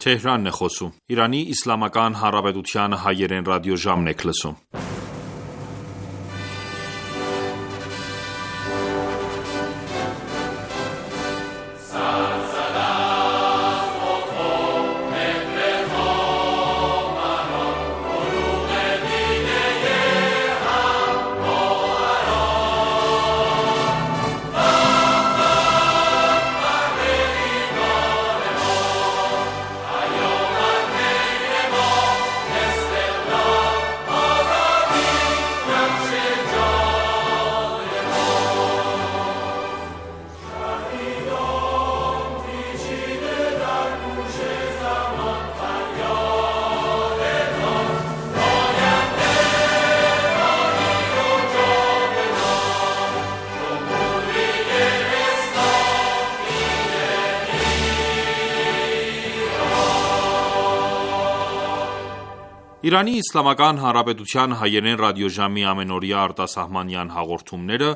Թեհրանն է խոսում։ Իրանի Իսլամական Հանրապետության հայերեն ռադիոժամն եք լսում։ Իրանի Իսլամական Հանրապետության հայերեն ռադիոժամի ամենօրյա արտասահմանյան հաղորդումները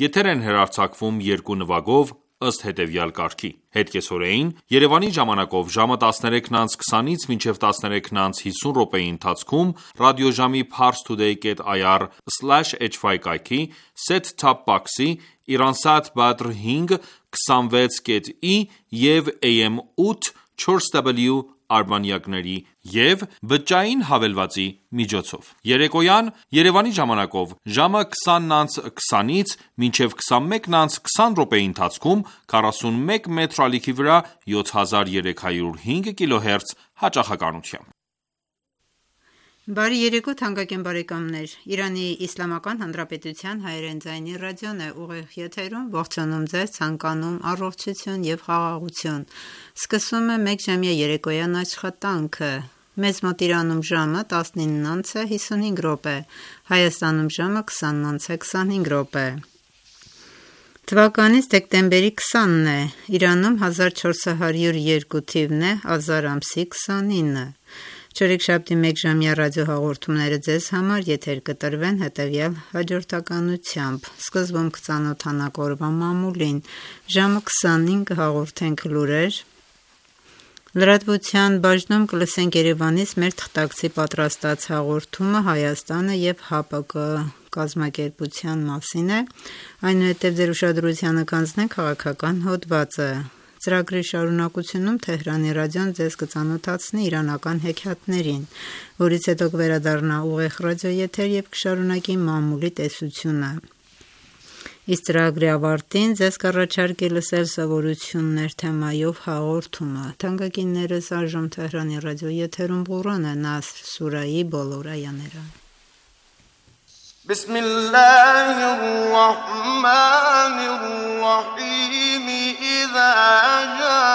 եթեր են հեռարձակվում երկու նվագով ըստ հետևյալ կարգի. Հետկեսօրեին Երևանի ժամանակով ժամը 13:20-ից մինչև 13:50 րոպեի ընթացքում ռադիոժամի parstoday.ir/hy կայքի set-top box-ի Iransat Badr 5 26.i և AM 8 4W արբանյակների և բջջային հավելվածի միջոցով։ Երեկոյան Երևանի ժամանակով ժամը 20:20-ից մինչև 21:20 րոպեի ընթացքում 41 մետր ալիքի վրա 7305 կիլոհերց հաճախականությամբ։ Բարի երեկո թանկագին բարեկամներ, Իրանի Իսլամական Հանրապետության հայերեն ձայնի ռադիոն է ուղիղ եթերում, ողջունում ձեզ, ցանկանում առողջություն և խաղաղություն։ Սկսում է մեկ ժամյա երեկոյան աշխատանքը։ Մեզ մոտ Իրանում ժամը 19:55 րոպե, Հայաստանում ժամը 20:25 րոպե։ Թվականից դեկտեմբերի 20-ն է, Իրանում 1402 թիվն է, ազար ամսի 29-ը։ Չորեքշաբթի մեկ ժամյա ռադիոհաղորդումները ձեզ համար եթեր կտրվեն հետևյալ հաջորդականությամբ. Սկզբում կծանոթանանք օրվա մամուլին, ժամը 20-ին կհաղորդենք լուրեր, լրատվության բաժնում կլսենք Երևանից մեր թղթակցի պատրաստած հաղորդումը Հայաստանը և ՀԱՊԿ կազմակերպության մասին է, այնուհետև ձեր ուշադրությանը կանցնենք քաղաքական հոդվածը։ Ծրագրի շարունակությունում Թեհրանի ռադիոն ձեզ կծանոթացնի իրանական հեքիաթներին, որից հետո կվերադառնա ուղիղ ռադիոեթեր և կշարունակի մամուլի տեսությունը։ Իսկ ծրագրի ավարտին ձեզ կառաջարկի լսել սովորություններ թեմայով հաղորդումը։ Թանկագիններս, այժմ Թեհրանի ռադիոեթերում Ղուրան է, Նասր սուրայի բոլոր այաները։ بسم الله الرحمن الرحيم إذا جاء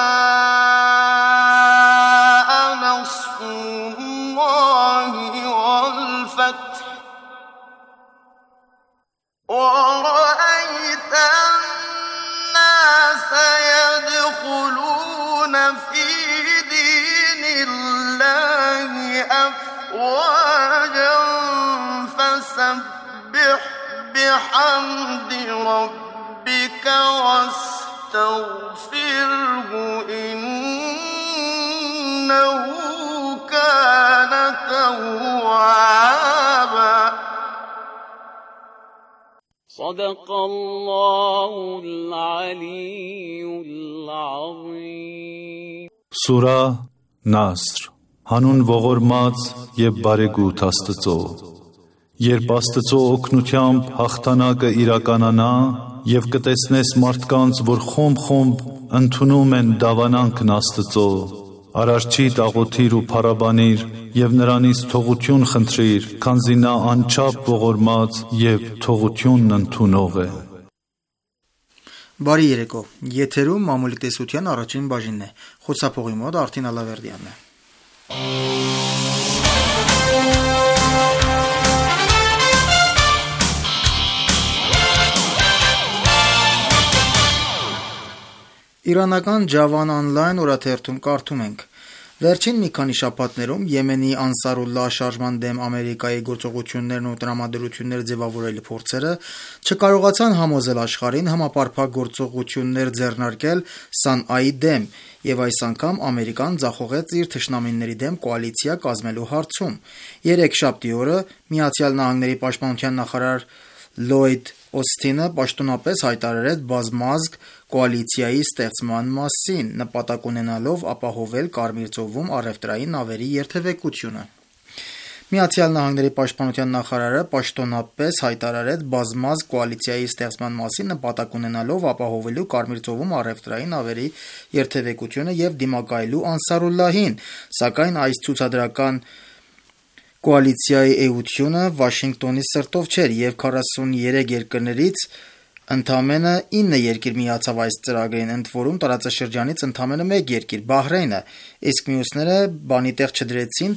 نصر الله والفتح ورأيت الناس يدخلون في دين الله أفواجا فسبح بحمد ربك واستغفره إنه كان توابا صدق الله العلي العظيم Սուրա Նասր Հանուն ողորմած և բարեգութ Աստծո Երբ Աստծո օգնությամբ հաղթանակը իրականանա և կտեսնես մարդկանց, որ խումբ-խումբ ընդունում են դավանանքն Աստծո, Արարչիդ աղոթիր ու փառաբանիր և նրանից թողություն խնդրիր, քանզի նա անչափ ողորմած և թողությունն ընդունող է։ Բարի երեկո, եթերում մամուլի տեսության առաջին բաժինն է, խոսափողի մոտ Արտին Ալավերդյանն է։ Իրանական Ջավան Online օրաթերթում կարդում ենք. Վերջին մի քանի շաբաթներում Եմենի Անսարուլլահ շարժման դեմ Ամերիկայի գործողություններն ու տրամադրություններ ձևավորելու փորձերը չկարողացան համոզել աշխարհին համապարփակ գործողություններ ձեռնարկել Սանայի դեմ, եւ այս անգամ Ամերիկան ձախողեց իր թշնամիների դեմ կոալիցիա կազմելու հարցում։ Երեքշաբթի օրը ԱՄՆ պաշտպանության նախարար Լլոյդ Օսթինը պաշտոնապես հայտարարեց բազմազգ կոալիցիայի ստեղծման մասին, նպատակ ունենալով ապահովել Կարմիր ծովում առևտրային նավերի երթևեկությունը։ ԱՄՆ պաշտպանության նախարարը պաշտոնապես հայտարարեց բազմազգ կոալիցիայի ստեղծման մասին, նպատակ ունենալով ապահովելու Կարմիր ծովում առևտրային նավերի երթևեկությունը եւ դիմակայելու Անսարուլլահին, սակայն այս ցուցադրական կոալիցիայի էությունը Վաշինգտոնի սրտով չէր եւ 43 երկրներից ընդամենը 9 երկիր միացավ այս ծրագրին, ընդ որում տարածաշրջանից ընդամենը 1 երկիր՝ Բահրեյնը, իսկ մյուսները բանի տեղ չդրեցին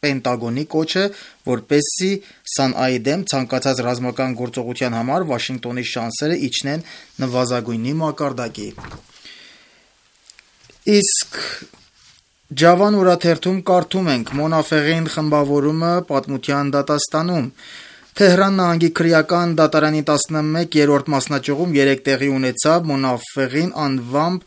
Պենտագոնի կոչը, որպեսզի Սանայի դեմ ցանկացած ռազմական գործողության համար Վաշինգտոնի շանսերը իջնեն նվազագույնի մակարդակի։ Իսկ Ջավան օրաթերթում կարդում ենք. Մոնաֆեղին խմբավորումը պատմության դատաստանում։ Թեհրան նահանգի քրեական դատարանի 11-րդ մասնաճյուղում 3 տեղի ունեցավ Մոնաֆեղին անվամբ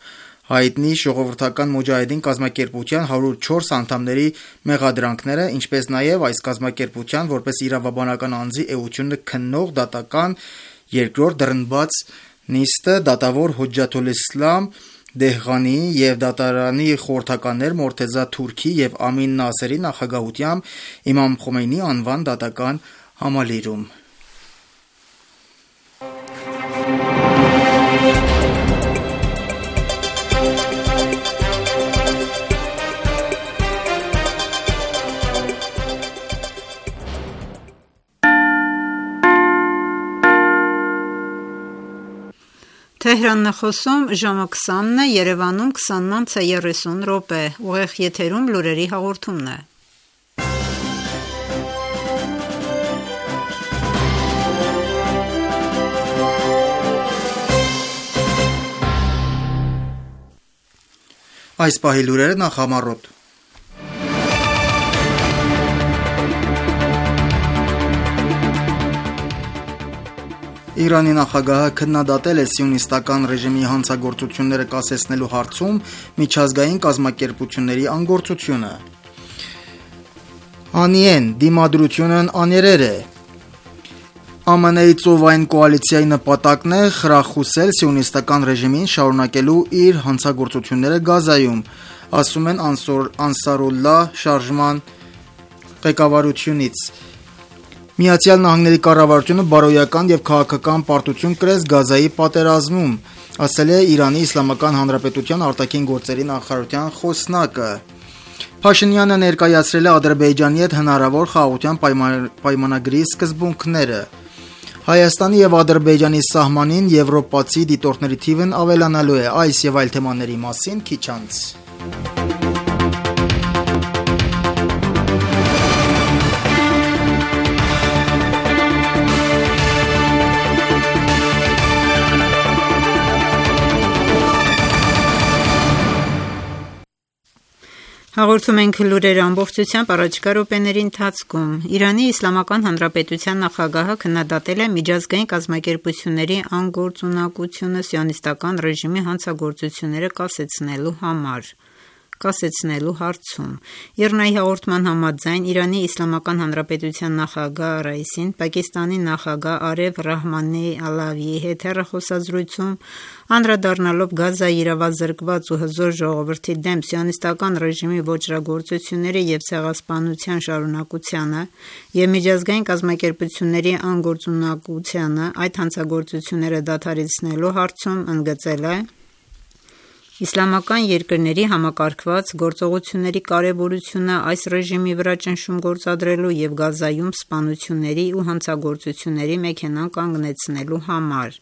հայտնի ժողովրդական մոջահեդին կազմակերպության 104 անդամների մեղադրանքները, ինչպես նաև այս կազմակերպության որպես իրավաբանական անձի էությունը քննող դատական երկրորդ դռնբաց նիստը դատավոր Հոջջաթոլիսլամ Դեհղանիի եւ դատարանի խորհրդականներ Մորթեզա Թուրքի եւ Ամին Նասերի նախագահությամբ Իմամ Խոմեյնի անվան դատական համալիրում։ Թեհրանն է խոսում, ժամը 20-ն է, Երևանում 20:30 ուղիղ եթերում լուրերի հաղորդումն է։ Այս պահի լուրերը նախամարոտ։ Իրանի նախագահը քննադատել է սիոնիստական ռեժիմի հանցագործությունները կասեցնելու հարցում միջազգային կազմակերպությունների անգործությունը։ Անիեն դիմադրությունն աներեր է։ ԱՄՆ-ի ծովային կոալիցիայի նպատակն է խրախուսել սիոնիստական ռեժիմին շարունակելու իր հանցագործությունները Գազայում, ասում են Անսարուլլահ շարժման ղեկավարությունից։ Միացյալ Նահանգների կառավարությունը բարոյական եւ քաղաքական պարտություն կրեց Գազայի պատերազմում, ասել է Իրանի Իսլամական Հանրապետության արտաքին գործերի նախարարության խոսնակը։ Փաշինյանը ներկայացրել է Ադրբեջանի հետ հնարավոր խաղաղության պայմանագրի սկզբունքները։ Հայաստանի եւ Ադրբեջանի սահմանին եվրոպացի դիտորդների թիվն ավելանալու է, այս եւ այլ թեմաների մասին քիչ անց։ Հաղորդում ենք լուրեր ամբողջությամբ առաջիկա րոպեների ընթացքում։ Իրանի Իսլամական Հանրապետության նախագահը քննադատել է միջազգային կազմակերպությունների անգործունակությունը սիոնիստական ռեժիմի հանցագործությունները կասեցնելու հարցում։ ԻՌՆԱ-ի հաղորդման համաձայն Իրանի Իսլամական Հանրապետության նախագահ Ռայիսին Պակիստանի նախագահ Արև Ռահմանի Ալավիի հետ հեռախոսազրույցում անդրադառնալով Գազայի իրավազրկված ու հզոր ժողովրդի դեմ սիոնիստական ռեժիմի ոճրագործությունների եւ ցեղասպանության շարունակությանը եւ միջազգային կազմակերպությունների անգործունակությանը այդ հանցագործությունները դադարեցնելու հարցում ընդգծել է իսլամական երկրների համակարգված գործողությունների կարևորությունը այս ռեժիմի վրա ճնշում գործադրելու եւ Գազայում սպանությունների ու հանցագործությունների մեքենան կանգնեցնելու համար։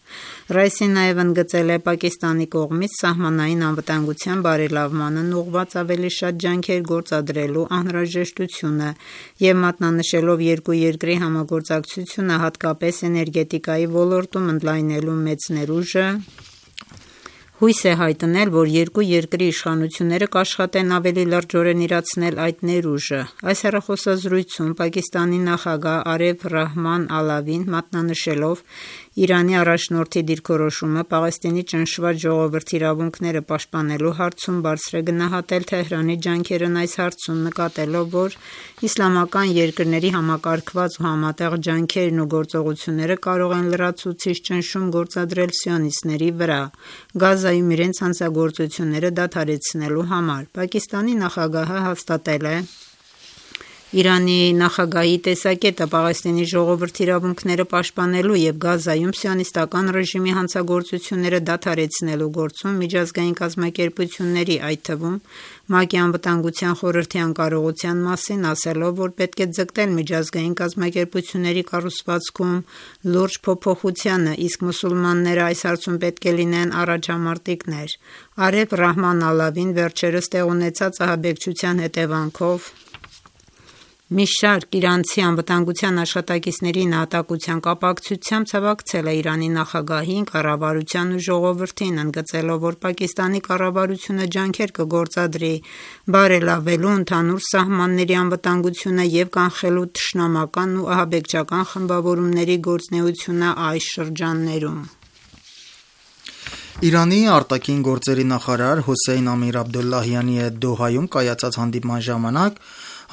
Ռայիսին նաեւ ընդգծել է Պակիստանի կողմից սահմանային անվտանգության բարելավմանն ուղղված ավելի շատ ջանքեր գործադրելու անհրաժեշտությունը եւ մատնանշելով երկու երկրի համագործակցությունը հատկապես էներգետիկայի ոլորտում ընդլայնելու մեծ ներուժը Հույս է հայտնել, որ երկու երկրի իշխանությունները կաշխատեն ավելի լրջորեն իրացնել այդ ներուժը։ Այս հեռախոսազրույցում Պակիստանի նախագահ Արիֆ Ռահման Ալավին մատնանշելով Իրանի առաջնորդի դիրքորոշումը Պաղեստինի ճնշված ժողովրդի իրավունքները պաշտպանելու հարցում բարձր է գնահատել Թեհրանի ջանքերն այս հարցում, նկատելով, որ իսլամական երկրների համակարգված ու համատեղ ջանքերն ու գործողությունները կարող են լրացուցիչ ճնշում գործադրել սիոնիստների վրա Գազայում իրենց հանցագործությունները դադարեցնելու համար։ Պակիստանի նախագահը հաստատել է Իրանի նախագահի տեսակետը Պաղեստինի ժողովրդի իրավունքները պաշտպանելու և Գազայում սիոնիստական ռեժիմի հանցագործությունները դադարեցնելու գործում միջազգային կազմակերպությունների, այդ թվում ՄԱԿ-ի Անվտանգության խորհրդի անկարողության մասին, ասելով, որ պետք է ձգտել միջազգային կազմակերպությունների կառուցվածքում լուրջ փոփոխությանը, իսկ մուսուլմանները այս հարցում պետք է լինեն առաջամարտիկներ։ Արիֆ Ռահման Ալավին վերջերս տեղ ունեցած ահաբեկչության հետևանքով մի շարք իրանցի անվտանգության աշխատակիցների նահատակության կապակցությամբ ցավակցել է Իրանի նախագահին, կառավարությանն ու ժողովրդին, ընդգծելով, որ Պակիստանի կառավարությունը ջանքեր կգործադրի բարելավելու ընդհանուր սահմանների անվտանգությունը և կանխելու թշնամական ու ահաբեկչական խմբավորումների գործունեությունը այս շրջաններում։ Իրանի արտաքին գործերի նախարար Հոսեյն Ամիր Աբդոլլահյանի հետ Դոհայում կայացած հանդիպման ժամանակ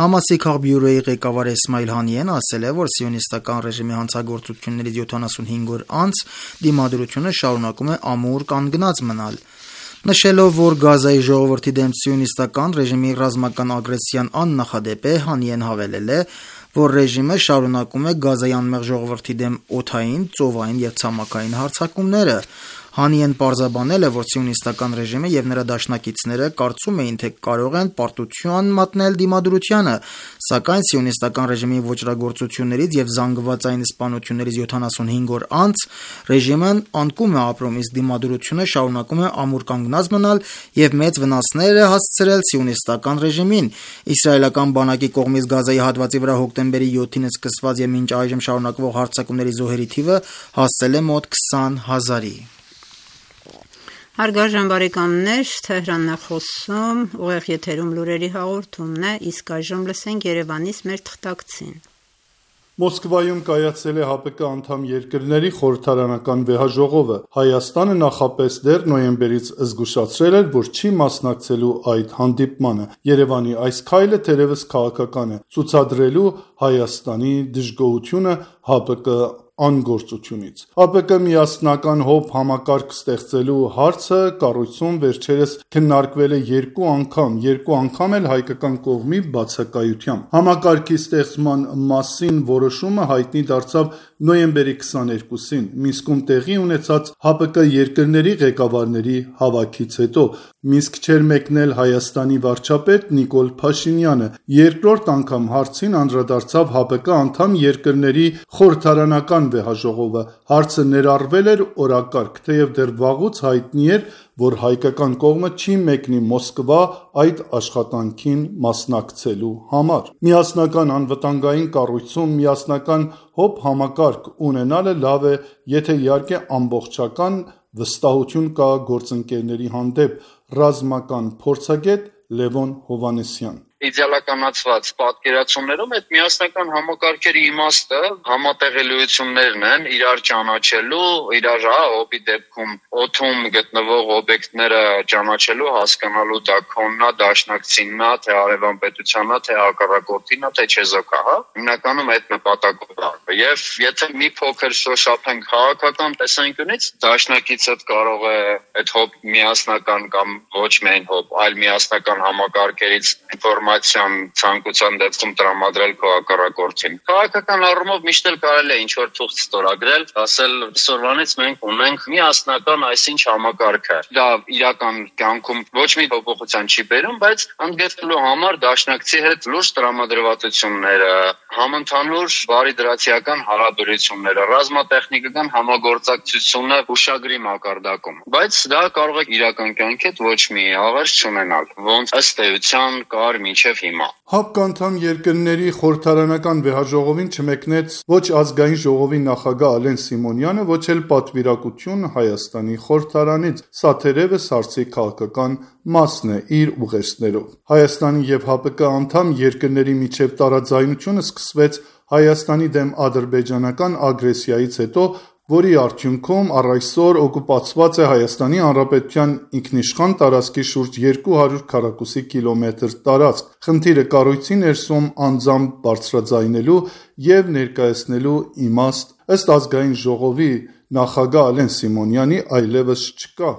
Համասի քաղբյուրոյի ղեկավար Էսմայիլ Հանիեն ասել է, որ սիոնիստական ռեժիմի հանցագործություններից 75 օր անց դիմադրությունը շարունակում է ամուր կանգնած մնալ։ Նշելով, որ Գազայի ժողովրդի դեմ սիոնիստական ռեժիմի ռազմական ագրեսիան աննախադեպ է, Հանիեն հավելել է, որ ռեժիմը շարունակում է Գազայի անմեղ ժողովրդի դեմ օդային, ծովային և ցամաքային հարձակումները։ Հանիեն պարզաբանել է, որ սիոնիստական ռեժիմը և նրա դաշնակիցները կարծում էին, թե կարող են պարտություն մատնել դիմադրությանը, սակայն սիոնիստական ռեժիմի ոճրագործություններից և զանգվածային սպանություններից 75 օր անց ռեժիմն անկում է ապրում, իսկ դիմադրությունը շարունակում է ամուր կանգնած մնալ և մեծ վնասներ է հասցրել սիոնիստական ռեժիմին։ Իսրայելական բանակի կողմից Գազայի հատվածի վրա հոկտեմբերի 7-ին սկսված և մինչ այժմ շարունակվող հարձակումների զոհերի թիվը հասել է մոտ 20,000-ի։ Հարգարժան բարեկամներ, Թեհրանն է խոսում, ուղիղ եթերում լուրերի հաղորդումն է, իսկ այժմ լսենք Երևանից մեր թղթակցին։ Մոսկվայում կայացել է ՀԱՊԿ անդամ երկրների խորհրդարանական վեհաժողովը։ Հայաստանը նախապես դեռ նոյեմբերից զգուշացրել էր, որ չի մասնակցելու այդ հանդիպմանը։ Երևանի այս քայլը թերևս քաղաքական է, ցուցադրելու Հայաստանի դժգոհությունը ՀԱՊԿ անգործությունից։ ՀԱՊԿ միասնական ՀՕՊ համակարգ ստեղծելու հարցը կառույցում վերջերս քննարկվել է երկու անգամ էլ հայկական կողմի բացակայությամբ։ Համակարգի ստեղծման մասին որոշումը հայտնի դարձավ նոյեմբերի 22-ին Մինսկում տեղի ունեցած ՀԱՊԿ երկրների ղեկավարների հավաքից հետո։ Մինսկ չէր մեկնել Հայաստանի վարչապետ Նիկոլ Փաշինյանը։ Երկրորդ անգամ հարցին անդրադարձավ ՀԱՊԿ անդամ երկրների խորհրդարանական վեհաժողովը։ Հարցը ներառվել էր օրակարգ, թեև դեռ վաղուց հայտնի էր, որ հայկական կողմը չի մեկնի Մոսկվա այդ աշխատանքին մասնակցելու համար։ Միասնական անվտանգային կառույցում միասնական ՀՕՊ համակարգ ունենալը լավ է, եթե իհարկե ամբողջական վստահություն կա գործընկերների հանդեպ։ Ռազմական փորձագետ Լևոն Հովհաննիսյան։ Իդեալականացված պատկերացումներում այդ միասնական համակարգերի իմաստը համատեղելիություններն են, իրար ճանաչելու, իրար ՀՕՊ-ի դեպքում օդում գտնվող օբյեկտները ճանաչելու, հասկանալու դա քոննա, դաշնակցիննա, թե արևան պետությաննա, թե հակառակորդիննա, թե չեզոքա, հիմնականում այդ նպատակով է։ Եվ եթե մի փոքր շոշափենք քաղաքական տեսանկյունից, դաշնակիցդ կարող է այդ ՀՕՊ միասնական կամ ոչ միայն ՀՕՊ, այլ միասնական համակարգերից ինֆորմացիան ցանկության դեպքում տրամադրել քո հակառակորդին։ Քաղաքական առումով միշտ էլ կարելի է ինչ-որ թուղթ ստորագրել, ասել այսօրվանից մենք ունենք միասնական այսինչ համակարգը։ Դա իրական կյանքում ոչ մի փոփոխության չի բերում, բայց ընդգծելու համար դաշնակցի հետ լուրջ տրամադրվածությունները, համընդհանուր բարի դրացիա իրական հարաբերությունները, ռազմատեխնիկական համագործակցությունը ուշագրի մակարդակում։ Բայց դա կարող է իրական կյանքի հետ ոչ մի աղերս չունենալ, ոնց ըստ էության կար մինչև հիմա։ ՀԱՊԿ անդամ երկրների խորհրդարանական վեհաժողովին չմեկնեց ոչ ազգային ժողովի նախագահ Ալեն Սիմոնյանը, ոչ էլ պատվիրակություն Հայաստանի խորհրդարանից։ Սա թերևս հարցի քաղաքական մասն է իր ուղերձներով։ Հայաստանի եւ ՀԱՊԿ անդամ երկրների միջև տարաձայնությունը սկսվեց Հայաստանի դեմ ադրբեջանական ագրեսիայից հետո, որի արդյունքում առ այսօր օկուպացված է Հայաստանի Հանրապետության ինքնիշխան տարածքի շուրջ 200 քառակուսի կիլոմետր տարածք։ Խնդիրը կառույցի ներսում անձամբ բարձրաձայնելու եւ ներկայացնելու իմաստ ըստ ազգային ժողովի նախագահ Ալեն Սիմոնյանի այլևս չկա։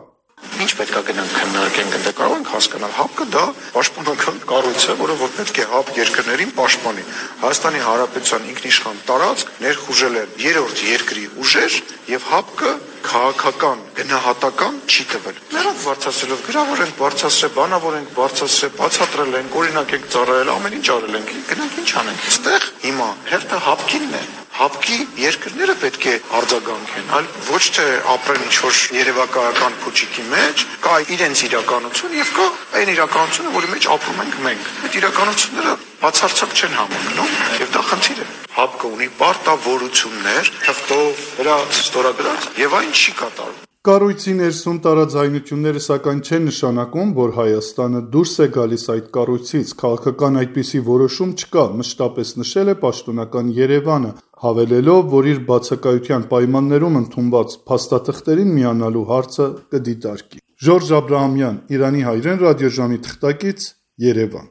Ինչ պետք է գնանք քննարկենք, ընդ կարող ենք հասկանալ, ՀԱՊԿ դա պաշտպանական կառույց է, որը որ պետք է ՀԱՊ երկրներին պաշտպանի։ Հայաստանի Հանրապետության ինքնիշխան տարածք ներխուժել են երրորդ երկրի ուժեր եւ ՀԱՊԿ քաղաքական գնահատական չի տվել։ Նրանք բարձրացրելով գրավոր ենք բարձրացրել, բանավոր ենք բարձրացրել, բացատրել ենք, օրինակ ենք ծառայել, ամեն ինչ արել ենք։ Գնանք ինչ անենք։ Այստեղ հիմա հերթը ՀԱՊԿ-ինն է։ ՀԱՊԿ-ի երկրները պետք է արձագանքեն, այլ ոչ թե ապրեն ինչ-որ երևակայական փուչիկի մեջ, կա իրենց իրականություն եւ կա այն իրականությունը, որի մեջ ապրում ենք մենք։ Այդ իրականությունները բացարձակ չեն համընկնում եւ դա խնդիր է։ ՀԱՊԿ-ը ունի պարտավորություններ, թղթով դրա ստորագրած եւ այն չի կատարում։ Կառույցի ներսում տարաձայնությունները սակայն չեն նշանակում, որ Հայաստանը դուրս է գալիս այդ կառույցից, քաղաքական այդպիսի որոշում չկա, մշտապես նշել է պաշտոնական Երևանը, հավելելով, որ իր բացակայության պայմաններում ընդունված փաստաթղթերին միանալու հարցը կդիտարկի։ Ժորժ Աբրահամյան, Իրանի հայրեն ռադիոժամի թղթակից, Երևան։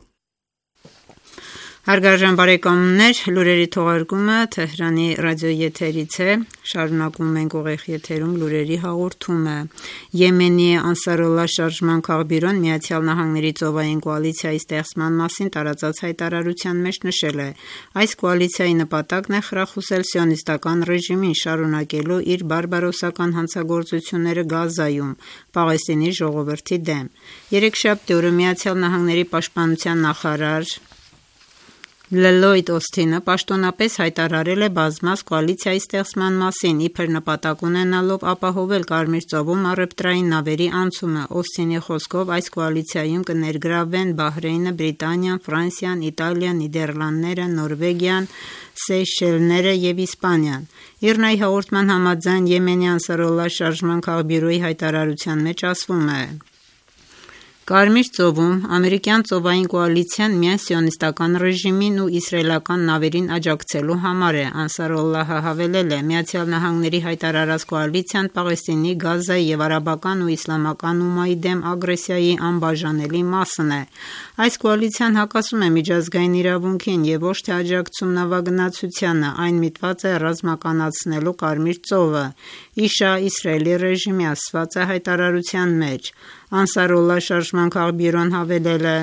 Հարգարժան բարեկամներ, լուրերի թողարկումը Թեհրանի ռադիոեթերից է, շարունակում ենք ուղիղ եթերում լուրերի հաղորդումը։ Եմենի Անսարոլլահ շարժման քաղբյուրոն Միացյալ Նահանգների ծովային կոալիցիայի ստեղծման մասին տարածած հայտարարության մեջ նշել է. այս կոալիցիայի նպատակն է խրախուսել սիոնիստական ռեժիմին շարունակելու իր բարբարոսական հանցագործությունները Գազայում, Պաղեստինի ժողովրդի դեմ։ Երեքշաբթի օրը Միացյալ Նահանգների պաշտպանության նախարար Լլոյդ Օսթինը պաշտոնապես հայտարարել է բազմաց կոալիցիայի ստեղծման մասին, իբր նպատակ ունենալով ապահովել Կարմիր ծովում առևտրային նավերի անցումը։ Օսթինի խոսքով այս կոալիցիայում կներգրավվեն Բահրեյնը, Բրիտանիան, Ֆրանսիան, Իտալիան, Նիդերլանդները, Նորվեգիան, Սեյշելները եւ Իսպանիան։ Իրնայի հաղորդման համաձայն Եմենի Անսարոլլահ շարժման քաղբյուրոյի հայտարարության մեջ ասվում է. Կարմիր ծովում ամերիկյան ծովային կոալիցիան միայն սիոնիստական ռեժիմին ու իսրայելական նավերին աջակցելու համար է, Անսարոլլահը հավելել է, Միացյալ Նահանգների հայտարարած կոալիցիան Պաղեստինի, Գազայի եւ արաբական ու իսլամական ումմայի դեմ ագրեսիայի անբաժանելի մասն է։ Այս կոալիցիան հակասում է միջազգային իրավունքին եւ ոչ թե աջակցում նավագնացությանը, այն միտված է ռազմականացնելու Կարմիր ծովը, իշա Իսրայելի ռեժիմի ասված է հայտարարության մեջ։ Անսարոլլահ շարժման քաղբյուրոն հավելել է.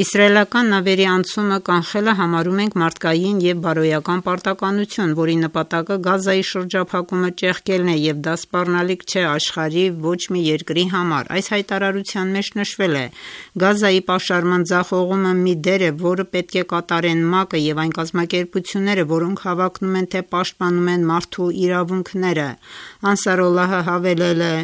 Իսրայելական նավերի անցումը կանխելը համարում ենք մարդկային եւ բարոյական պարտականություն, որի նպատակը Գազայի շրջափակումը ճեղքելն է եւ դա սպառնալիք չէ աշխարհի ոչ մի երկրի համար։ Այս հայտարարության մեջ նշվել է. Գազայի պաշարման ձախողումը մի դեր է, որը պետք է կատարեն ՄԱԿ-ը եւ այն կազմակերպությունները, որոնք հավակնում են թե պաշտպանում են մարդու իրավունքները։ Անսարոլլահը հավելել է.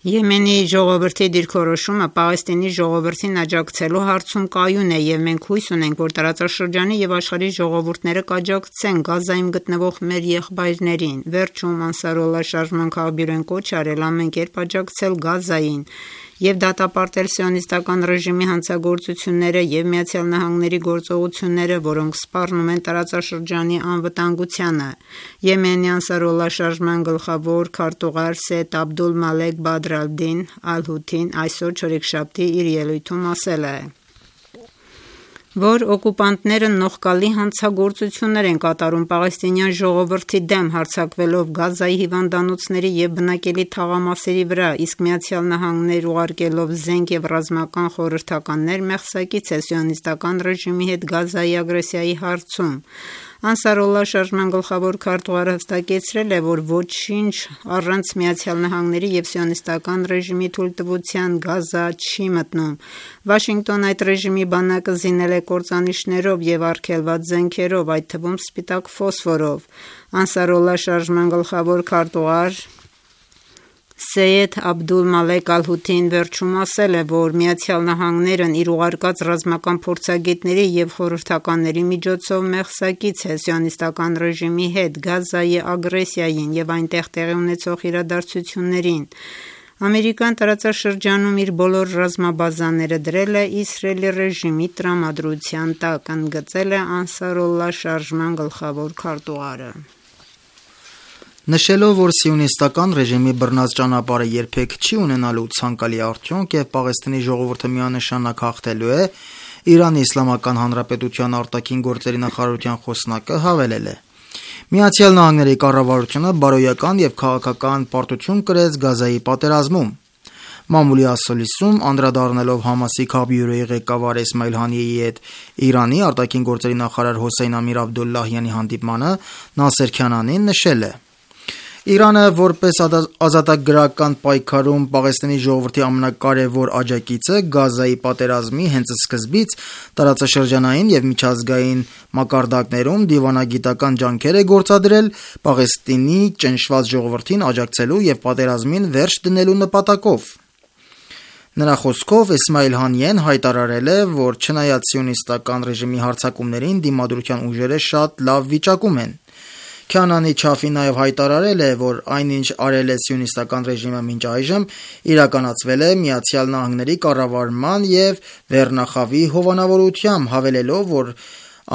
Եմենի ժողովրդի դիրքորոշումը Պաղեստինի ժողովրդին աջակցելու հարցում կայուն է եւ մենք հույս ունենք, որ տարածաշրջանի եւ աշխարհի ժողովուրդները կաջակցեն Գազայում գտնվող մեր եղբայրներին։ Վերջում Անսարոլլահ շարժման քաղբյուրոն կոչ արել ամեն կերպ աջակցել Գազային եւ դատապարտել սիոնիստական ռեժիմի հանցագործությունները եւ Միացյալ Նահանգների գործողությունները, որոնք սպառնում են տարածաշրջանի անվտանգությանը։ Եմենի Անսարոլլահ շարժման գլխավոր քարտուղար Սեյեդ Աբդուլ Մալեք Բադր ալ-Դին Ալ-Հութին այսօր չորեքշաբթի իր ելույթում ասել է, որ օկուպանտները նողկալի հանցագործություններ են կատարում պաղեստինյան ժողովրդի դեմ, հարձակվելով Գազայի հիվանդանոցների եւ բնակելի թաղամասերի վրա, իսկ Միացյալ Նահանգներ ուղարկելով զենք եւ ռազմական խորհրդականներ մեղսակից է սիոնիստական ռեժիմի հետ Գազայի ագրեսիայի հարցում։ Անսարոլլա շարժման գլխավոր քարտուղարը հստակեցրել է, որ ոչինչ առանց ԱՄՆ-ի և սիոնիստական ռեժիմի թույլտվության Գազա չի մտնում։ Վաշինգտոնն այդ ռեժիմի բանակը զինել է կործանիչներով և արգելված զենքերով, այդ թվում սպիտակ ֆոսֆորով։ Անսարոլլա շարժման գլխավոր քարտուղար Սեյեդ Աբդուլ-Մալեք Ալ-Հութին վերջում ասել է, որ ԱՄՆ-ն իր ուղարկած ռազմական փորձագետների և խորհրդականների միջոցով մեղսակից է սիոնիստական ռեժիմի հետ Գազայի ագրեսիային և այնտեղ տեղի ունեցող իրադարձություններին։ Ամերիկան տարածաշրջանում իր բոլոր ռազմաբազաները դրել է Իսրայելի ռեժիմի տրամադրության տակ, ընդգծել է Անսարոլլա շարժման գլխավոր քարտուղարը։ Նշելով, որ սիոնիստական ռեժիմի բռնած ճանապարհը երբեք չի ունենալու ցանկալի արդյունք և Պաղեստինի ժողովուրդը միանշանակ հաղթելու է, Իրանի Իսլամական Հանրապետության արտաքին գործերի նախարարության խոսնակը հավելել է. ԱՄՆ-ի կառավարությունը բարոյական և քաղաքական պարտություն կրեց Գազայի պատերազմում։ Մամուլի ասուլիսում անդրադառնալով Համասի Քաբյուրեի ղեկավար Էսմայիլ Հանիեի հետ Իրանի արտաքին գործերի նախարար Հոսեյն Ամիր Աբդոլլահյանի հանդիպմանը Նասեր Քանանին նշել է. Իրանը որպես ազատագրական պայքարում Պաղեստինի ժողովրդի ամենակարևոր աջակիցը Գազայի պատերազմի հենց սկզբից տարածաշրջանային և միջազգային մակարդակներում դիվանագիտական ջանքեր է գործադրել Պաղեստինի ճնշված ժողովրդին աջակցելու և պատերազմին վերջ դնելու նպատակով։ Նրա խոսքով Էսմայիլ Հանիեն հայտարարել է, որ չնայած սիոնիստական ռեժիմի հարձակումներին դիմադրության ուժերը շատ լավ վիճակում են։ Քանանի չափի նաև հայտարարել է, որ այնինչ արել է սիոնիստական ռեժիմը մինչ այժմ, իրականացվել է ԱՄՆ-ի կառավարման և վերնախավի հովանավորությամբ, հավելելով, որ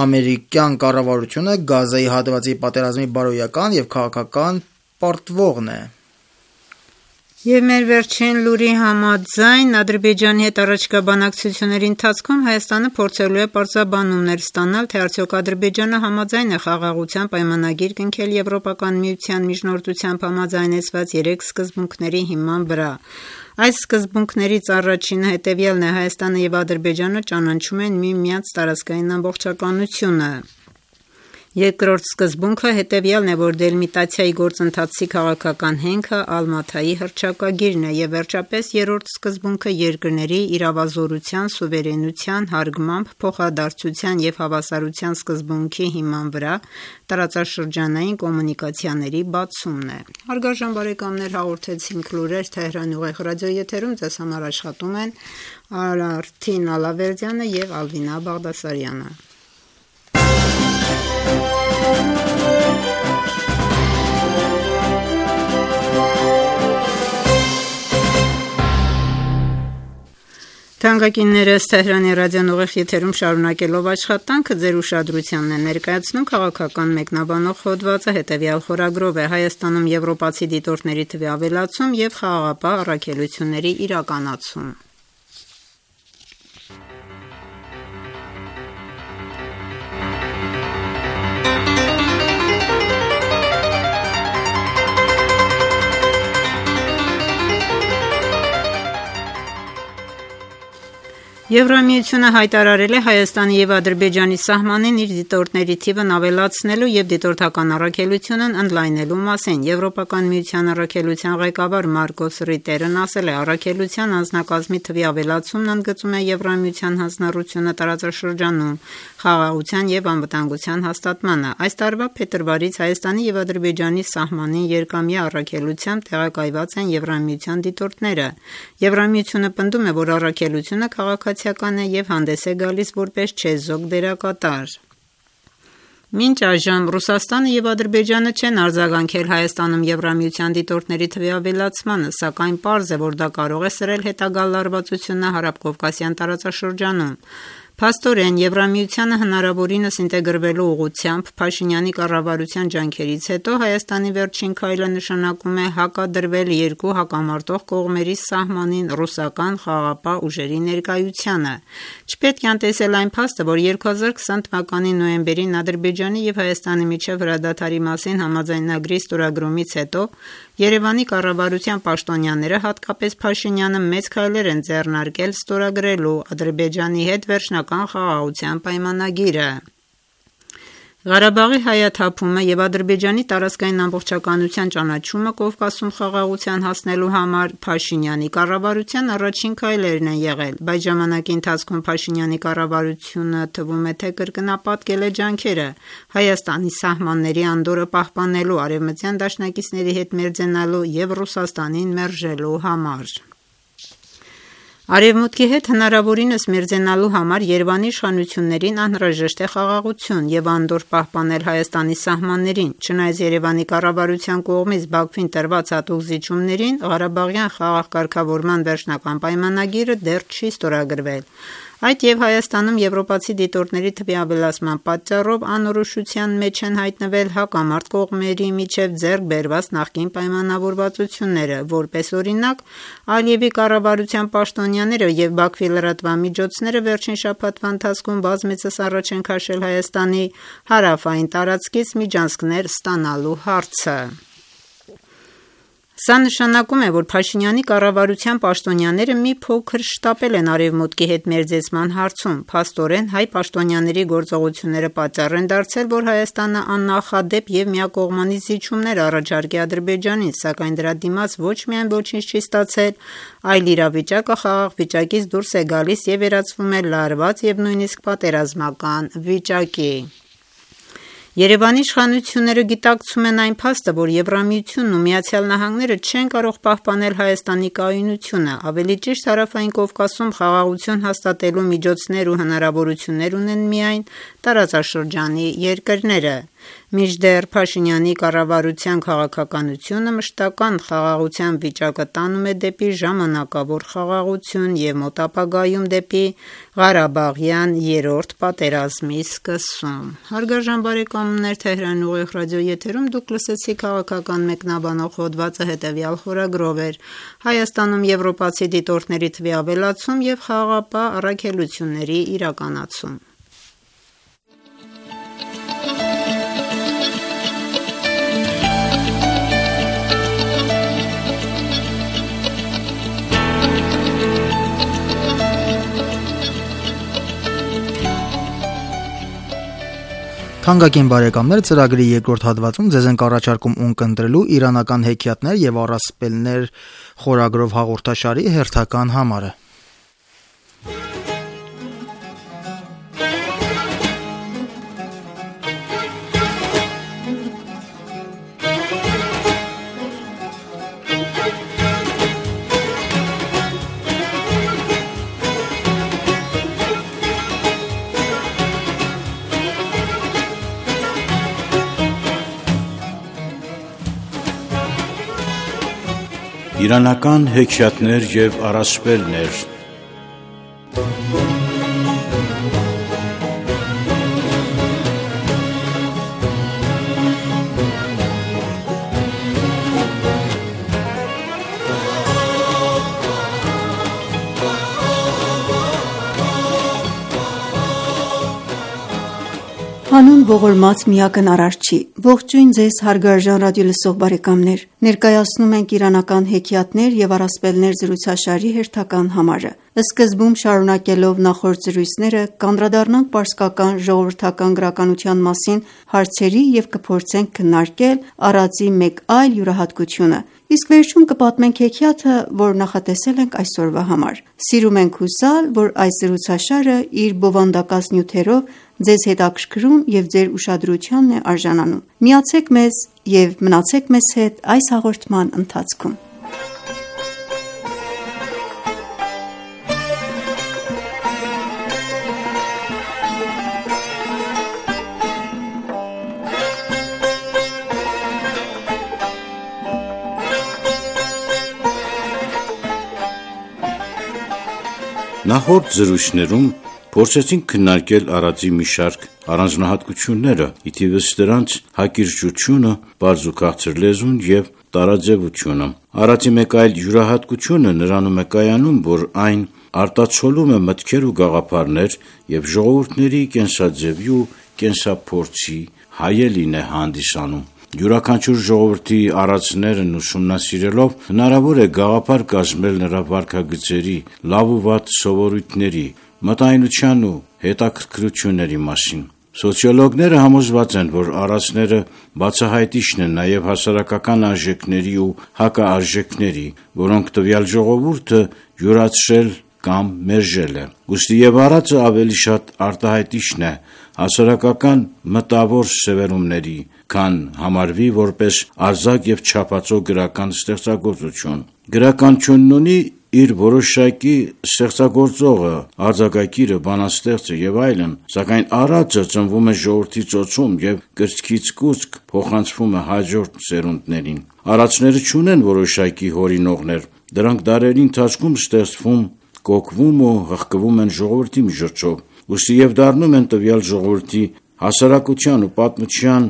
ամերիկյան կառավարությունը Գազայի հատվածի պատերազմի բարոյական և քաղաքական պարտվողն է։ Եվ մեր վերջին լուրի համաձայն Ադրբեջանի հետ առաջիկա բանակցությունների ընթացքում Հայաստանը փորձելու է պարզաբանումներ ստանալ, թե արդյոք Ադրբեջանը համաձայն է խաղաղության պայմանագիր կնքել Եվրոպական միության միջնորդությամբ համաձայնեցված 3 սկզբունքների հիման վրա։ Այս սկզբունքներից առաջինը հետևյալն է. Հայաստանը և Ադրբեջանը ճանաչում են միմյանց տարածքային ամբողջականությունը։ Երկրորդ սկզբունքը հետևյալն է, որ դելիմիտացիայի գործընթացի քաղաքական հենքը Ալմաթայի հռչակագիրն է, և վերջապես երրորդ սկզբունքը երկրների իրավազորության, սուվերենության, հարգմամբ, փոխադարձության և հավասարության սկզբունքի հիման վրա տարածաշրջանային կոմունիկացիաների բացումն է։ Հարգարժան բարեկամներ, հաղորդեցինք լուրեր Թեհրանի ուղիղ ռադիոեթերում, ձեզ համար աշխատում են Արթին Ալավերդյանը և Ալվինա Բաղդասարյանը։ Թանկագիններս Թեհրանի ռադիոն ուղիղ եթերում շարունակելով աշխատանքը ձեր ուշադրությանն է ներկայացնում քաղաքական մեկնաբանող հոդվածը հետևյալ խորագրով է. Հայաստանում եվրոպացի դիտորդների թվի ավելացում և խաղաղապահ առաքելությունների իրականացում։ Եվրամիությունը հայտարարել է Հայաստանի և Ադրբեջանի սահմանին իր դիտորդների թիվն ավելացնելու և դիտորդական առաքելությունն ընդլայնելու մասին։ Եվրոպական միության առաքելության ղեկավար Մարկոս Ռիտերն ասել է. առաքելության անձնակազմի թվի ավելացումն ընդգծում է Եվրամիության հանձնառությունը տարածաշրջանում խաղաղության և անվտանգության հաստատմանը։ Այս տարվա փետրվարից Հայաստանի և Ադրբեջանի սահմանին երկամյա առաքելությամբ տեղակայված են Եվրամիության դիտորդները։ Եվրամիությունը պնդում է, որ առաքելությունը քաղաքացիական է և հանդես է գալիս որպես չեզոք դերակատար։ Մինչ այժմ Ռուսաստանը և Ադրբեջանը չեն արձագանքել Հայաստանում Եվրամիության դիտորդների թվի ավելացմանը, սակայն պարզ է, որ դա կարող է սրել հետագա լարվածությունը հարավկովկասյան տարածաշրջանում։ Փաստորեն, Եվրամիությանը հնարավորինս ինտեգրվելու ուղղությամբ Փաշինյանի կառավարության ջանքերից հետո Հայաստանի վերջին քայլը նշանակում է հակադրվել երկու հակամարտող կողմերի սահմանին ռուսական խաղաղապահ ուժերի ներկայությանը։ Չպետք է անտեսել այն փաստը, որ 2020 թվականի նոյեմբերին Ադրբեջանի և Հայաստանի միջև հրադադարի մասին համաձայնագրի ստորագրումից հետո Երևանի կառավարության պաշտոնյաները, հատկապես Փաշինյանը, մեծ քայլեր են ձեռնարկել ստորագրելու Ադրբեջանի հետ վերջնական խաղաղության պայմանագիրը։ Ղարաբաղի հայաթափումը եւ Ադրբեջանի տարածքային ամբողջականության ճանաչումը Կովկասում խաղաղության հասնելու համար Փաշինյանի կառավարության առաջին քայլերն են եղել, բայց ժամանակի ընթացքում Փաշինյանի կառավարությունը թվում է թե կրկնապատկել է ջանքերը Հայաստանի սահմանների անդորրը պահպանելու, արևմտյան դաշնակիցների հետ մերձենալու եւ Ռուսաստանին մերժելու համար։ Արևմուտքի հետ հնարավորինս մերձենալու համար Երևանի իշխանություններին անհրաժեշտ է խաղաղություն եւ անդորր պահպանել Հայաստանի սահմաններին, չնայած Երևանի կառավարության կողմից Բաքվին տրված հատուկ զիջումներին Ղարաբաղյան խաղաղ կարգավորման վերջնական պայմանագիրը դեռ չի ստորագրվել։ Այդ եւ Հայաստանում եվրոպացի դիտորդների թվի ավելացման պատճառով անորոշության մեջ են հայտնվել հակամարտ կողմերի միջև ձեռք բերված նախկին պայմանավորվածությունները, որպես օրինակ Ալիևի կառավարության պաշտոնյաները եւ Բաքվի լրատվամիջոցները վերջին շաբաթվա ընթացքում բազմիցս առաջ են քաշել Հայաստանի հարավային տարածքից միջանցքներ ստանալու հարցը։ Սա նշանակում է, որ Փաշինյանի կառավարության պաշտոնյաները մի փոքր շտապել են Արևմուտքի հետ մերձեցման հարցում։ Փաստորեն հայ պաշտոնյաների գործողությունները պատճառ են դարձել, որ Հայաստանը աննախադեպ եւ միակողմանի զիջումներ առաջարկի Ադրբեջանին, սակայն դրա դիմաց ոչ միայն ոչինչ չի ստացել, այլ իրավիճակը խաղաղ վիճակից դուրս է գալիս եւ վերածվում է լարված եւ նույնիսկ պատերազմական վիճակի։ Երևանի իշխանությունները գիտակցում են այն փաստը, որ Եվրամիությունն ու Միացյալ Նահանգները չեն կարող պահպանել Հայաստանի կայունությունը, ավելի ճիշտ Հարավային Կովկասում խաղաղություն հաստատելու միջոցներ ու հնարավորություններ ունեն միայն տարածաշրջանի երկրները։ Մինչդեռ Փաշինյանի կառավարության քաղաքականությունը մշտական խաղաղության վիճակը տանում է դեպի ժամանակավոր խաղաղություն եւ մոտ ապագայում դեպի Ղարաբաղյան երրորդ պատերազմի սկսում։ Հարգարժան բարեկամներ, Թեհրանի ուղիղ ռադիո եթերում դուք լսեցիք քաղաքական մեկնաբանող հոդվածը հետևյալ խորագրով էր. Հայաստանում եվրոպացի դիտորդների թվի ավելացում եւ խաղաղապահ առաքելությունների իրականացում։ Թանկագին բարեկամներ, ծրագրի երկրորդ հատվածում ձեզ ենք առաջարկում ունկնդրելու իրանական հեքիաթներ եւ առասպելներ խորագրով հաղորդաշարի հերթական համարը։ Իրանական հեքիաթներ եւ առասպելներ։ Հանուն ողորմած միակն Արարչի, ողջույն ձեզ հարգարժան ռադիոլսող բարեկամներ, ներկայացնում ենք իրանական հեքիաթներ եւ առասպելներ զրուցաշարի հերթական համարը։ Սկզբում շարունակելով նախորդ զրույցները կանդրադառնանք պարսկական ժողովրդական գրականության մասին հարցերի եւ կփորձենք քննարկել առածի մեկ այլ յուրահատկությունը, իսկ վերջում կպատմենք հեքիաթը, որ նախատեսել ենք այսօրվա համար։ Սիրում ենք հուսալ, որ այս զրուցաշարը իր բովանդակած նյութերով ձեզ հետաքրքրում եւ ձեր ուշադրությանն է արժանանում։ Միացեք մեզ եւ մնացեք մեզ հետ այս հաղորդման ընթացքում։ Նախորդ զրույցներում փորձեցինք քննարկել առածի մի շարք առանձնահատկությունները, ի թիվս դրանց հակիրճությունը, բարձ ու քաղցր լեզուն եւ տարաձևությունը։ Առածի մեկ այլ յուրահատկությունը նրանում է կայանում, որ այն արտացոլում է մտքեր ու գաղափարներ եւ ժողովուրդների կենսաձևի ու կենսափորձի հայելին է հանդիսանում։ Յուրաքանչյուր ժողովրդի առածներն ուսումնասիրելով հնարավոր է գաղափար կազմել նրա վարքագծերի, լավ ու վատ սովորույթների, մտայնության ու հետաքրքրությունների մասին։ Սոցիոլոգները համոզված են, որ արածները բացահայտիչն են նաև հասարակական արժեքների ու հակաարժեքների, որոնք տվյալ ժողովուրդը յուրացրել կամ մերժել է։ Ուստի եւ արածը ավելի շատ արտահայտիչն է հասարակական մտավոր սևեռումների, քան համարվի որպես արձակ եւ չափածո գրական ստեղծագործություն։ Գրականությունն ունի իր որոշակի ստեղծագործողը, արձակագիրը, բանաստեղծը եւ այլն, սակայն արածը ծնվում է ժողովրդի ծոցում եւ կրծքից կուծք փոխանցվում է հաջորդ սերունդներին։ Արածները չունեն որոշակի հորինողներ, դրանք դարերի ընթացքում ստեղծվում, կոկվում ու հղկվում են ժողովրդի միջոցով, ուստի եւ դառնում են տվյալ ժողովրդի հասարակության ու պատմության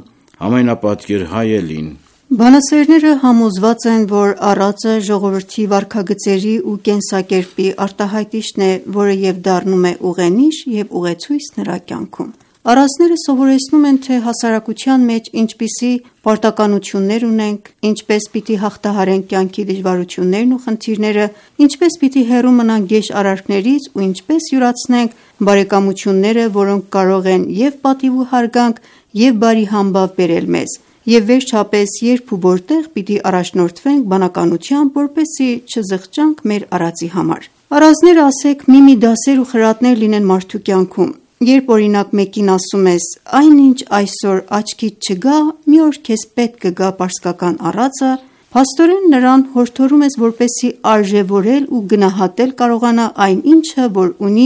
ամենապատկեր հայելին։ Բանասերները համոզված են, որ արածը ժողովրդի վարքագծերի ու կենսակերպի արտահայտիչն է, որը եւ դառնում է ուղենիշ եւ ուղեցույց նրա կյանքում։ Արածները սովորեցնում են, թե հասարակության մեջ ինչպիսի պարտականություններ ունենք, ինչպես պիտի հաղթահարենք կյանքի դժվարություններն ու խնդիրները, ինչպես պիտի հեռու մնանք գեշ արարքներից ու ինչպես յուրացնենք բարեկամությունները, որոնք կարող են եւ պատիվ ու հարգանք եւ բարի համբավ բերել մեզ, եւ վերջապես երբ ու որտեղ պիտի առաջնորդվենք բանականությամբ, որպեսզի չզղջանք մեր արածի համար։ Արածները, ասեք, մի դասեր ու խրատներ լինեն մարդու կյանքում։ Երբ օրինակ մեկին ասում ես, այնինչ այսօր աչքիդ չգա, մի օր քեզ պետք կգա պարսկական արածը, փաստորեն նրան հորդորում ես, որպեսզի արժևորել ու գնահատել կարողանա այն ինչը, որ ունի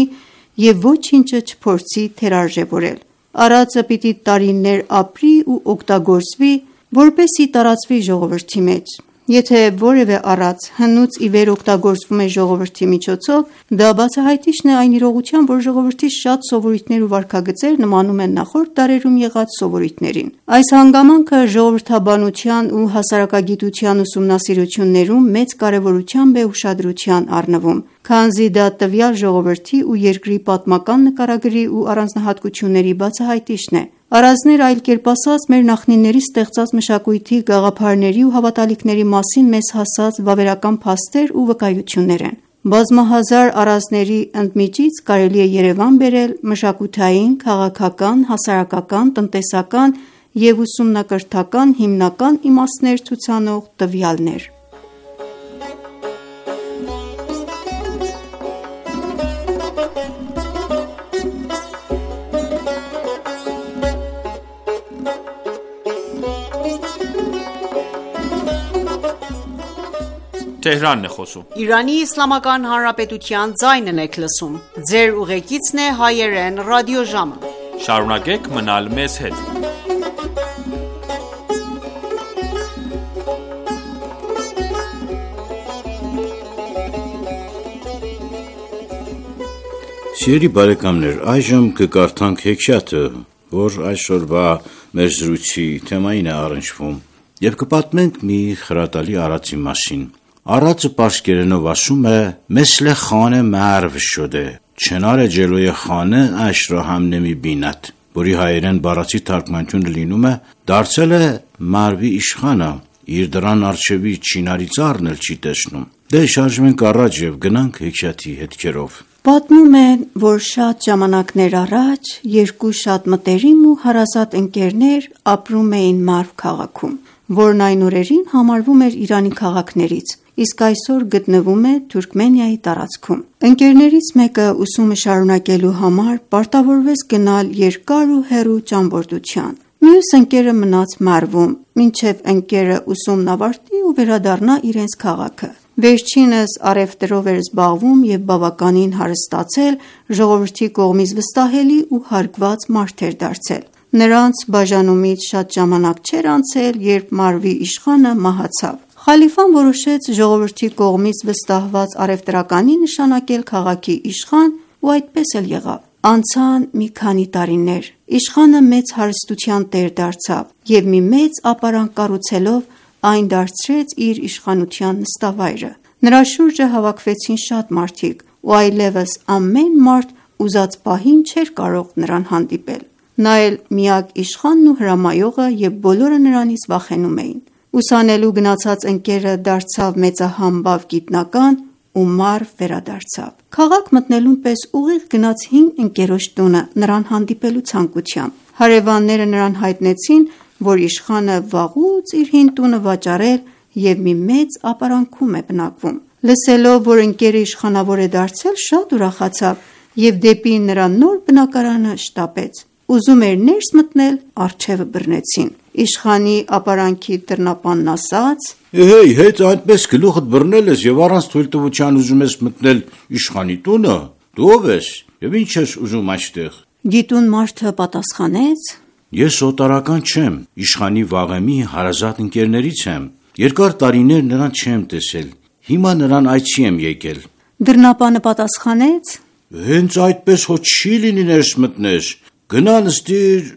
եւ ոչինչը չփորձի թերարժևորել։ Արածը պիտի տարիներ ապրի ու օգտագործվի, որպեսզի տարածվի ժողովրդի մեջ։ Եթե որևէ արած հնուց ի վեր օգտագործվում է ժողովրդի միջոցով, դա բացահայտիչն է այն իրողության, որ ժողովրդի շատ սովորույթներ ու վարքագծեր նմանում են նախորդ դարերում եղած սովորույթներին։ Այս հանգամանքը ժողովրդաբանության ու հասարակագիտության ուսումնասիրություններում մեծ կարևորությամբ է ուշադրության առնվում, քանզի դա տվյալ ժողովրդի ու երկրի պատմական նկարագրի ու առանձնահատկությունների բացահայտիչն է։ Արածները, այլ կերպ ասած, մեր նախնիների ստեղծած մշակույթի, գաղափարների ու հավատալիքների մասին մեզ հասած վավերական փաստեր ու վկայություններ են։ Բազմահազար արածների ընդմիջից կարելի է երևան բերել մշակութային, քաղաքական, հասարակական, տնտեսական և ուսումնակրթական հիմնական իմաստներ ցուցանող տվյալներ։ Իրանի Իսլամական Հանրապետության ձայնն եք լսում։ Ձեր ուղեկիցն է հայերեն ռադիոժամը։ Շարունակեք մնալ մեզ հետ։ Սիրելի բարեկամներ, այժմ կկարդանք հեքիաթը, որ այսօրվա մեր զրույցի թեմային է առնչվում, եւ կպատմենք մի խրատալի արածի մասին։ Արածը պարսկերենով ասում է «Մեսլ խանե մերվ շոդե, չնարե ջելոյ խանե աշրա համնեմի բինատ», որի հայերեն բառացի թարգմանությունը լինում է «Դարձել է մարվի իշխանը, իր դրան առջևի չինարի ծառն էլ չի տեսնում»։ Դե շարժվենք առաջ եւ գնանք հեքիաթի հետքերով։ Պատմում են, որ շատ ժամանակներ առաջ երկու շատ մտերիմ ու հարազատ ընկերներ ապրում էին Մարվ քաղաքում, որն այն օրերին համարվում էր Իրանի քաղաքներից, իսկ այսօր գտնվում է Թուրքմենիայի տարածքում։ Ընկերներից մեկը ուսումը շարունակելու համար պարտավորվեց գնալ երկար ու հեռու ճամփորդության։ Մյուս ընկերը մնաց Մարվում, մինչև ընկերը ուսումն ավարտի ու վերադառնա իրենց քաղաքը։ Վերջինս առևտրով էր զբաղվում եւ բավականին հարստացել, ժողովրդի կողմից վստահելի ու հարգված մարդ էր դարձել։ Նրանց բաժանումից շատ ժամանակ չէր անցել, երբ Մարվի իշխանը մահացավ։ Խալիֆան որոշեց ժողովրդի կողմից վստահված առևտրականի նշանակել քաղաքի իշխան ու այդպես էլ եղավ։ Անցան մի քանի տարիներ, իշխանը մեծ հարստության տեր դարձավ եւ մի մեծ ապարանք կառուցելով այն դարձրեց իր իշխանության նստավայրը։ Նրա շուրջը հավաքվեցին շատ մարդիկ ու այլևս ամեն մարդ ուզած պահին չէր կարող նրան հանդիպել։ Նա էլ միակ իշխանն ու հրամայողը եւ բոլորը նրանից վախենում էին։ Ուսանելու գնացած ընկերը դարձավ մեծահամբավ գիտնական ու մարվ վերադարձավ։ Քաղաք մտնելուն պես ուղիղ գնաց հին ընկերոջ տունը նրան հանդիպելու ցանկությամբ։ Հարևանները նրան հայտնեցին, որ իշխանը վաղուց իր հին տունը վաճառել և մի մեծ ապարանքում է բնակվում։ Լսելով, որ ընկերը իշխանավոր է դարձել, շատ ուրախացավ և դեպի նրա նոր բնակարանը շտապեց։ Ուզում էր ներս մտնել, առջևը բռնեցին։ Իշխանի ապարանքի դռնապանն ասաց. Հեյ, հետ այդպես գլուխդ բռնել ես և առանց թույլտվության ուզում ես մտնել իշխանի տունը։ Դու ով ես և ինչ ես ուզում այստեղ։ Գիտուն մարդը պատասխանեց. Ես օտարական չեմ, իշխանի վաղեմի հարազատ ընկերներից եմ։ Երկար տարիներ նրան չեմ տեսել, հիմա նրան այցի եմ եկել։ Դռնապանը պատասխանեց. Հենց այդպես հո չի լինի ներս մտնես, գնա նստիր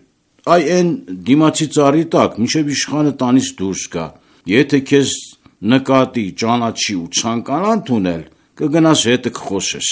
այն դիմացի ծառի տակ, մինչև իշխանը տանից դուրս գա։ Եթե քեզ նկատի, ճանաչի ու ցանկանա ընդունել, կգնաս հետը կխոսես։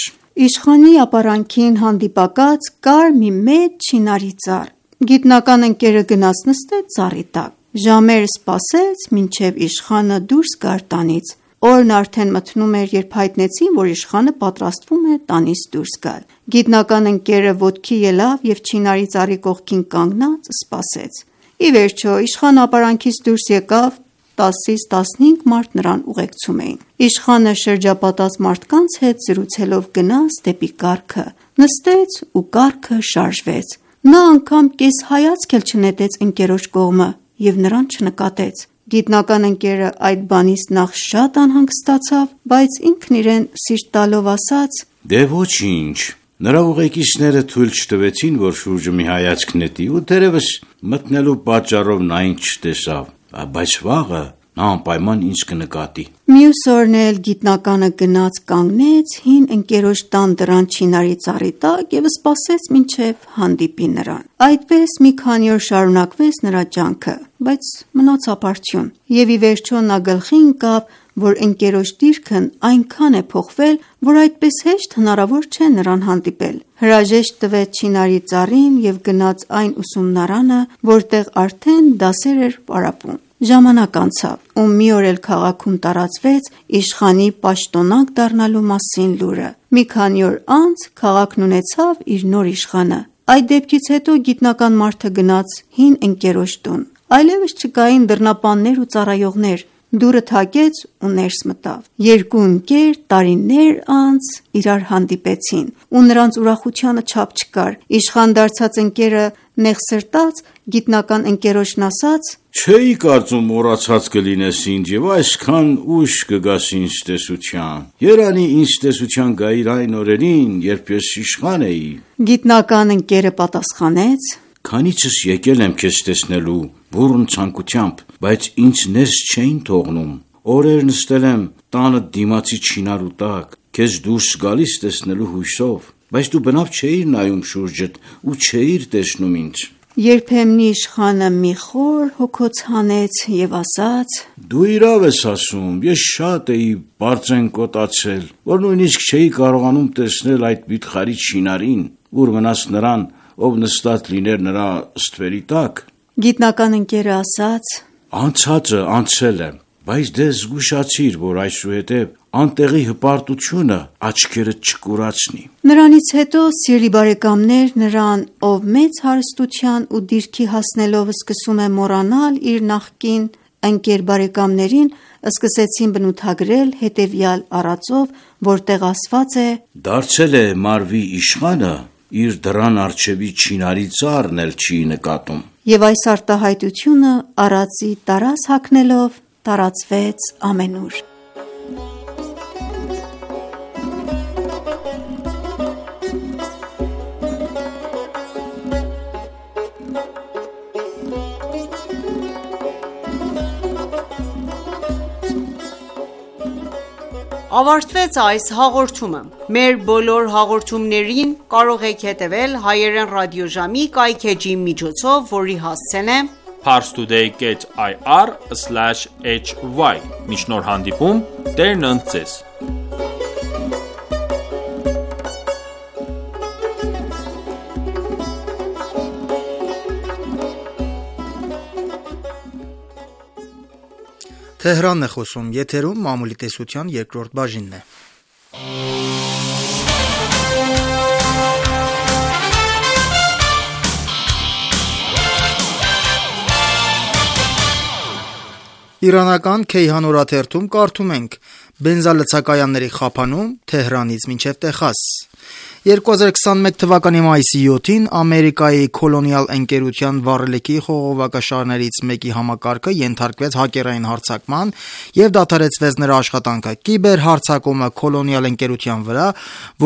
Իշխանի ապարանքին հանդիպակաց կար մի մեծ չինարի ծառ։ Գիտնական ընկերը գնաց նստեց ծառի տակ։ Ժամեր սպասեց, մինչև իշխանը դուրս գար տանից։ Օրն արդեն մթնում էր, երբ հայտնեցին, որ իշխանը պատրաստվում է տանից դուրս գալ։ Գիտնական ընկերը ոտքի ելավ և չինարի ծառի կողքին կանգնած սպասեց։ Ի վերջո իշխանը ապարանքից դուրս եկավ, 10-ից 15 մարդ նրան ուղեկցում էին։ Իշխանը շրջապատած մարդկանց հետ զրուցելով գնաց դեպի կառքը, նստեց ու կառքը շարժվեց։ Նա անգամ կես հայացք էլ չնետեց ընկերոջ կողմը և նրան չնկատեց։ Գիտնական ընկերը այդ բանից նախ շատ անհանգստացավ, բայց ինքն իրեն սիրտ տալով ասաց. Դե ոչինչ, նրա ուղեկիցները թույլ չտվեցին, որ շուրջը մի հայացք նետի ու դերևս մտնելու պատճառով նա ինձ չտեսավ, բայց վաղը նա անպայման ինձ կնկատի։ Մյուս օրն էլ գիտնականը գնաց կանգնեց հին ընկերոջ տան դռան չինարի ծառի տակ և սպասեց մինչև հանդիպի նրան։ Այդպես մի քանի օր շարունակվեց նրա ջանքը, բայց մնաց ապարդյուն, և ի վերջո նա գլխի ընկավ, որ ընկերոջ դիրքն այնքան է փոխվել, որ այդպես հեշտ հնարավոր չէ նրան հանդիպել։ Հրաժեշտ տվեց չինարի ծառին և գնաց այն ուսումնարանը, որտեղ արդեն դասեր էր պարապում։ Ժամանակ անցավ, ու մի օր էլ քաղաքում տարածվեց իշխանի պաշտոնանկ դառնալու մասին լուրը։ Մի քանի օր անց քաղաքն ունեցավ իր նոր իշխանը։ Այդ դեպքից հետո գիտնական մարդը գնաց հին ընկերոջ տուն։ Այլևս չկային դռնապաններ ու ծառայողներ։ Դուռը թակեց ու ներս մտավ։ Երկու ընկեր տարիներ անց իրար հանդիպեցին, ու նրանց ուրախությանը չափ չկար։ Իշխան դարձած ընկերը նեղսրտած գիտնական ընկերոջն ասաց. Չէի կարծում մոռացած կլինես ինձ և այսքան ուշ կգաս ինձ տեսության։ Երանի ինձ տեսության գայիր այն օրերին, երբ ես իշխան էի։ Գիտնական ընկերը պատասխանեց. Քանիցս եկել եմ քեզ տեսնելու բուռն ցանկությամբ, բայց ինձ ներս չէին թողնում։ Օրեր նստել եմ տանը դիմացի չինարու տակ, քեզ դուրս գալիս տեսնելու հույսով, բայց դու բնավ չէիր նայում շուրջդ ու չէիր տեսնում ինձ։ Երբեմնի իշխանը մի խոր հոգոց հանեց և ասաց. Դու իրավ ես ասում, ես շատ էի բարձեն կոտացել, որ նույնիսկ չէի կարողանում տեսնել այդ վիթխարի չինարին, ուր մնաց նրան, ով նստած լիներ նրա ստվերի տակ։ Գիտնական ընկերը ասաց. Անցածը անցել է, բայց դե զգուշացիր, որ այսուհետև անտեղի հպարտությունը աչքերդ չկուրացնի։ Նրանից հետո, սիրելի բարեկամներ, նրան, ով մեծ հարստության ու դիրքի հասնելով սկսում է մոռանալ իր նախկին ընկեր բարեկամներին, սկսեցին բնութագրել հետևյալ առածով, որտեղ ասված է. Դարձել է մարվի իշխանը, իր դռան առջևի չինարի ծառն էլ չի նկատում։ Եվ այս արտահայտությունը առածի տարած հագնելով տարածվեց ամենուր։ Ավարտվեց այս հաղորդումը։ Մեր բոլոր հաղորդումներին կարող եք հետևել հայերեն ռադիոժամի կայքէջի միջոցով, որի հասցեն է parstoday.ir/hy։ Մինչ նոր հանդիպում, Տերն ընդ ձեզ։ Թեհրանն է խոսում, եթերում մամուլի տեսության երկրորդ բաժինն է։ Իրանական Քեյհան օրաթերթում կարդում ենք. բենզալցակայանների խափանում Թեհրանից մինչև Տեխաս։ 2021 թվականի մայիսի 7-ին Ամերիկայի Colonial ընկերության վառելիքի խողովակաշարներից մեկի համակարգը ենթարկվեց հակերային հարձակման և դադարեցվեց նրա աշխատանքը։ Կիբերհարձակումը Colonial ընկերության վրա,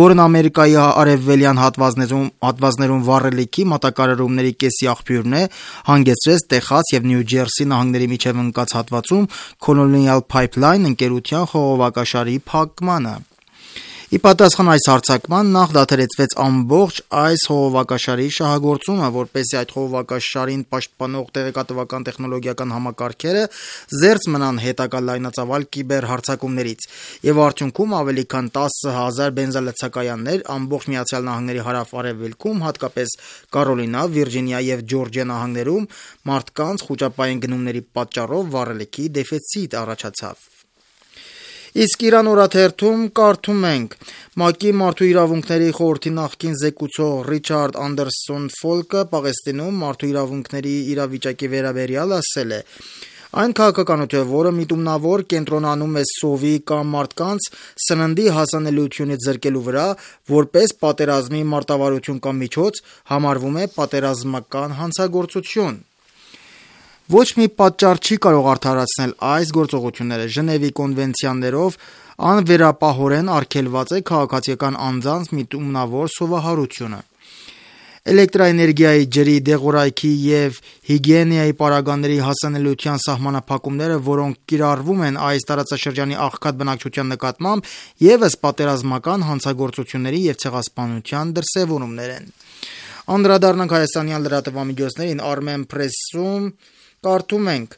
որն Ամերիկայի արևելյան հատվածներում վառելիքի մատակարարումների կեսի աղբյուրն է, հանգեցրեց Տեխաս և Նյու Ջերսի նահանգների միջև ընկած հատվածում Colonial Pipeline ընկերության խողովակաշարի փակմանը։ Ի պատասխան այս հարձակման նախ դադարեցվեց ամբողջ այս խողովակաշարի շահագործումը, որպեսզի այդ խողովակաշարին պաշտպանող տեղեկատվական տեխնոլոգիական համակարգերը զերծ մնան հետագա լայնածավալ կիբերհարձակումներից, և արդյունքում ավելի քան 10,000 բենզալցակայաններ ամբողջ Միացյալ Նահանգների հարավ-արևելքում, հատկապես Կարոլինա, Վիրջինիա և Ջորջիա նահանգներում մարդկանց խուճապային գնումների պատճառով վառելիքի դեֆիցիտ առաջացավ։ Իսկ Իրան օրաթերթում կարդում ենք. ՄԱԿ-ի մարդու իրավունքների խորհրդի նախկին զեկուցող Ռիչարդ Անդերսոն Ֆոլկը Պաղեստինում մարդու իրավունքների իրավիճակի վերաբերյալ ասել է. այն քաղաքականությունը, որը միտումնավոր կենտրոնանում է սովի կամ մարդկանց սննդի հասանելիությունից զրկելու վրա, որպես պատերազմի մարտավարություն կամ միջոց, համարվում է պատերազմական հանցագործություն։ Ոչ մի պատճառ չի կարող արդարացնել այս գործողությունները։ Ժնևի կոնվենցիաներով անվերապահորեն արգելված է քաղաքացիական անձանց միտումնավոր սովահարությունը։ Էլեկտրաէներգիայի, ջրի, դեղորայքի և հիգիենայի պարագաների հասանելիության սահմանափակումները, որոնք կիրառվում են այս տարածաշրջանի աղքատ բնակչության նկատմամբ, ևս պատերազմական հանցագործությունների և ցեղասպանության դրսևորումներ են։ Անդրադառնանք հայաստանյան լրատվամիջոցներին։ Armen Press-ում կարդում ենք.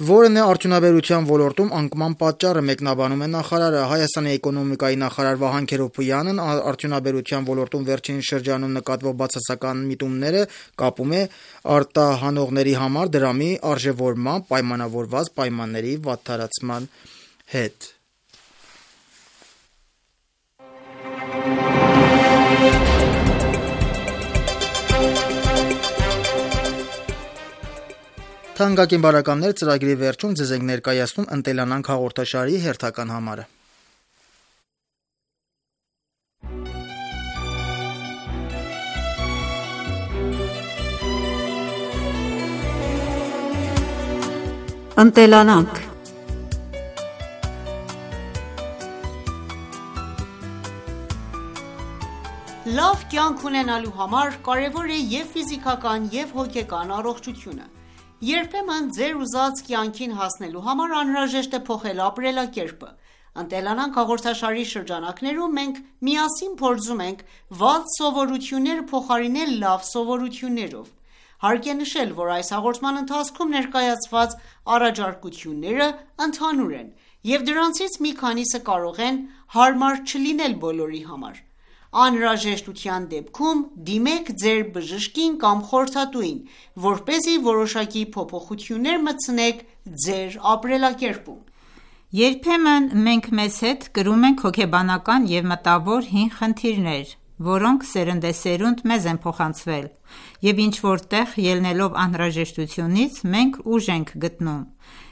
որն է արդյունաբերության ոլորտում անկման պատճառը, մեկնաբանում է նախարարը։ Հայաստանի էկոնոմիկայի նախարար Վահան Քերոբյանն արդյունաբերության ոլորտում վերջին շրջանում նկատվող բացասական միտումները կապում է արտահանողների համար դրամի արժևորմամբ պայմանավորված պայմանների վատթարացման հետ։ Թանկագին բարեկամներ, ծրագրի վերջում ձեզ ենք ներկայացնում «Ընտելանանք» հաղորդաշարի հերթական համարը։ Ընտելանանք։ Լավ կյանք ունենալու համար կարևոր է և ֆիզիկական, և հոգեկան առողջությունը։ Երբեմն ձեր ուզած կյանքին հասնելու համար անհրաժեշտ է փոխել ապրելակերպը։ «Ընտելանանք» հաղորդաշարի շրջանակներում մենք միասին փորձում ենք վատ սովորությունները փոխարինել լավ սովորություններով։ Հարկ է նշել, որ այս հաղորդման ընթացքում ներկայացված առաջարկությունները ընդհանուր են, և դրանցից մի քանիսը կարող են հարմար չլինել բոլորի համար։ Անհրաժեշտության դեպքում դիմեք ձեր բժշկին կամ խորհրդատուին, որպեսզի որոշակի փոփոխություններ մտցնեք ձեր ապրելակերպում։ Երբեմն մենք մեզ հետ կրում ենք հոգեբանական և մտավոր հին խնդիրներ, որոնք սերնդեսերունդ մեզ են փոխանցվել, և ինչ-որ տեղ ելնելով անհրաժեշտությունից մենք ուժ ենք գտնում։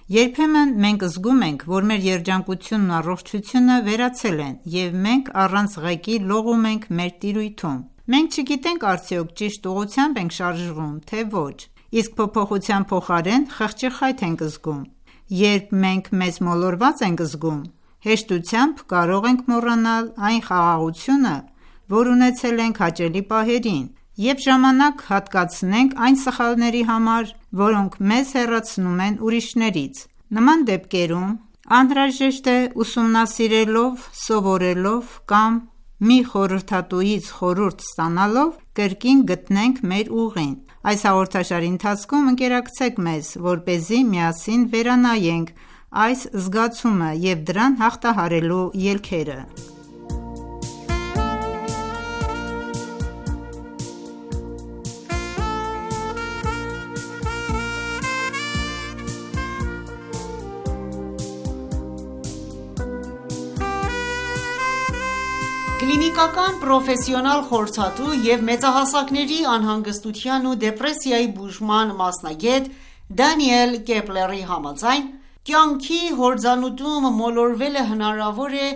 Երբեմն մենք զգում ենք, որ մեր երջանկությունն ու առողջությունը վերացել են, և մենք առանց ղեկի լողում ենք մեր տիրույթում։ Մենք չգիտենք արդյոք ճիշտ ուղղությամբ ենք շարժվում, թե ոչ, իսկ փոփոխության փոխարեն խղճի խայթ ենք զգում։ Երբ մենք մեզ մոլորված ենք զգում, հեշտությամբ կարող ենք մոռանալ այն խաղաղությունը, որ ունեցել ենք հաճելի պահերին, և ժամանակ հատկացնենք այն սխալների համար, որոնք մեզ հեռացնում են ուրիշներից։ Նման դեպքերում անհրաժեշտ է ուսումնասիրելով, սովորելով կամ մի խորհրդատուից խորհուրդ ստանալով կրկին գտնենք մեր ուղին։ Այս հաղորդաշարի ընթացքում ընկերակցեք մեզ, որպեսզի միասին վերանայենք այս զգացումը և դրան հաղթահարելու ելքերը։ Կլինիկական պրոֆեսիոնալ խորհրդատու և մեծահասակների անհանգստության ու դեպրեսիայի բուժման մասնագետ Դանիել Կեպլերի համաձայն, կյանքի հորձանուտում մոլորվելը հնարավոր է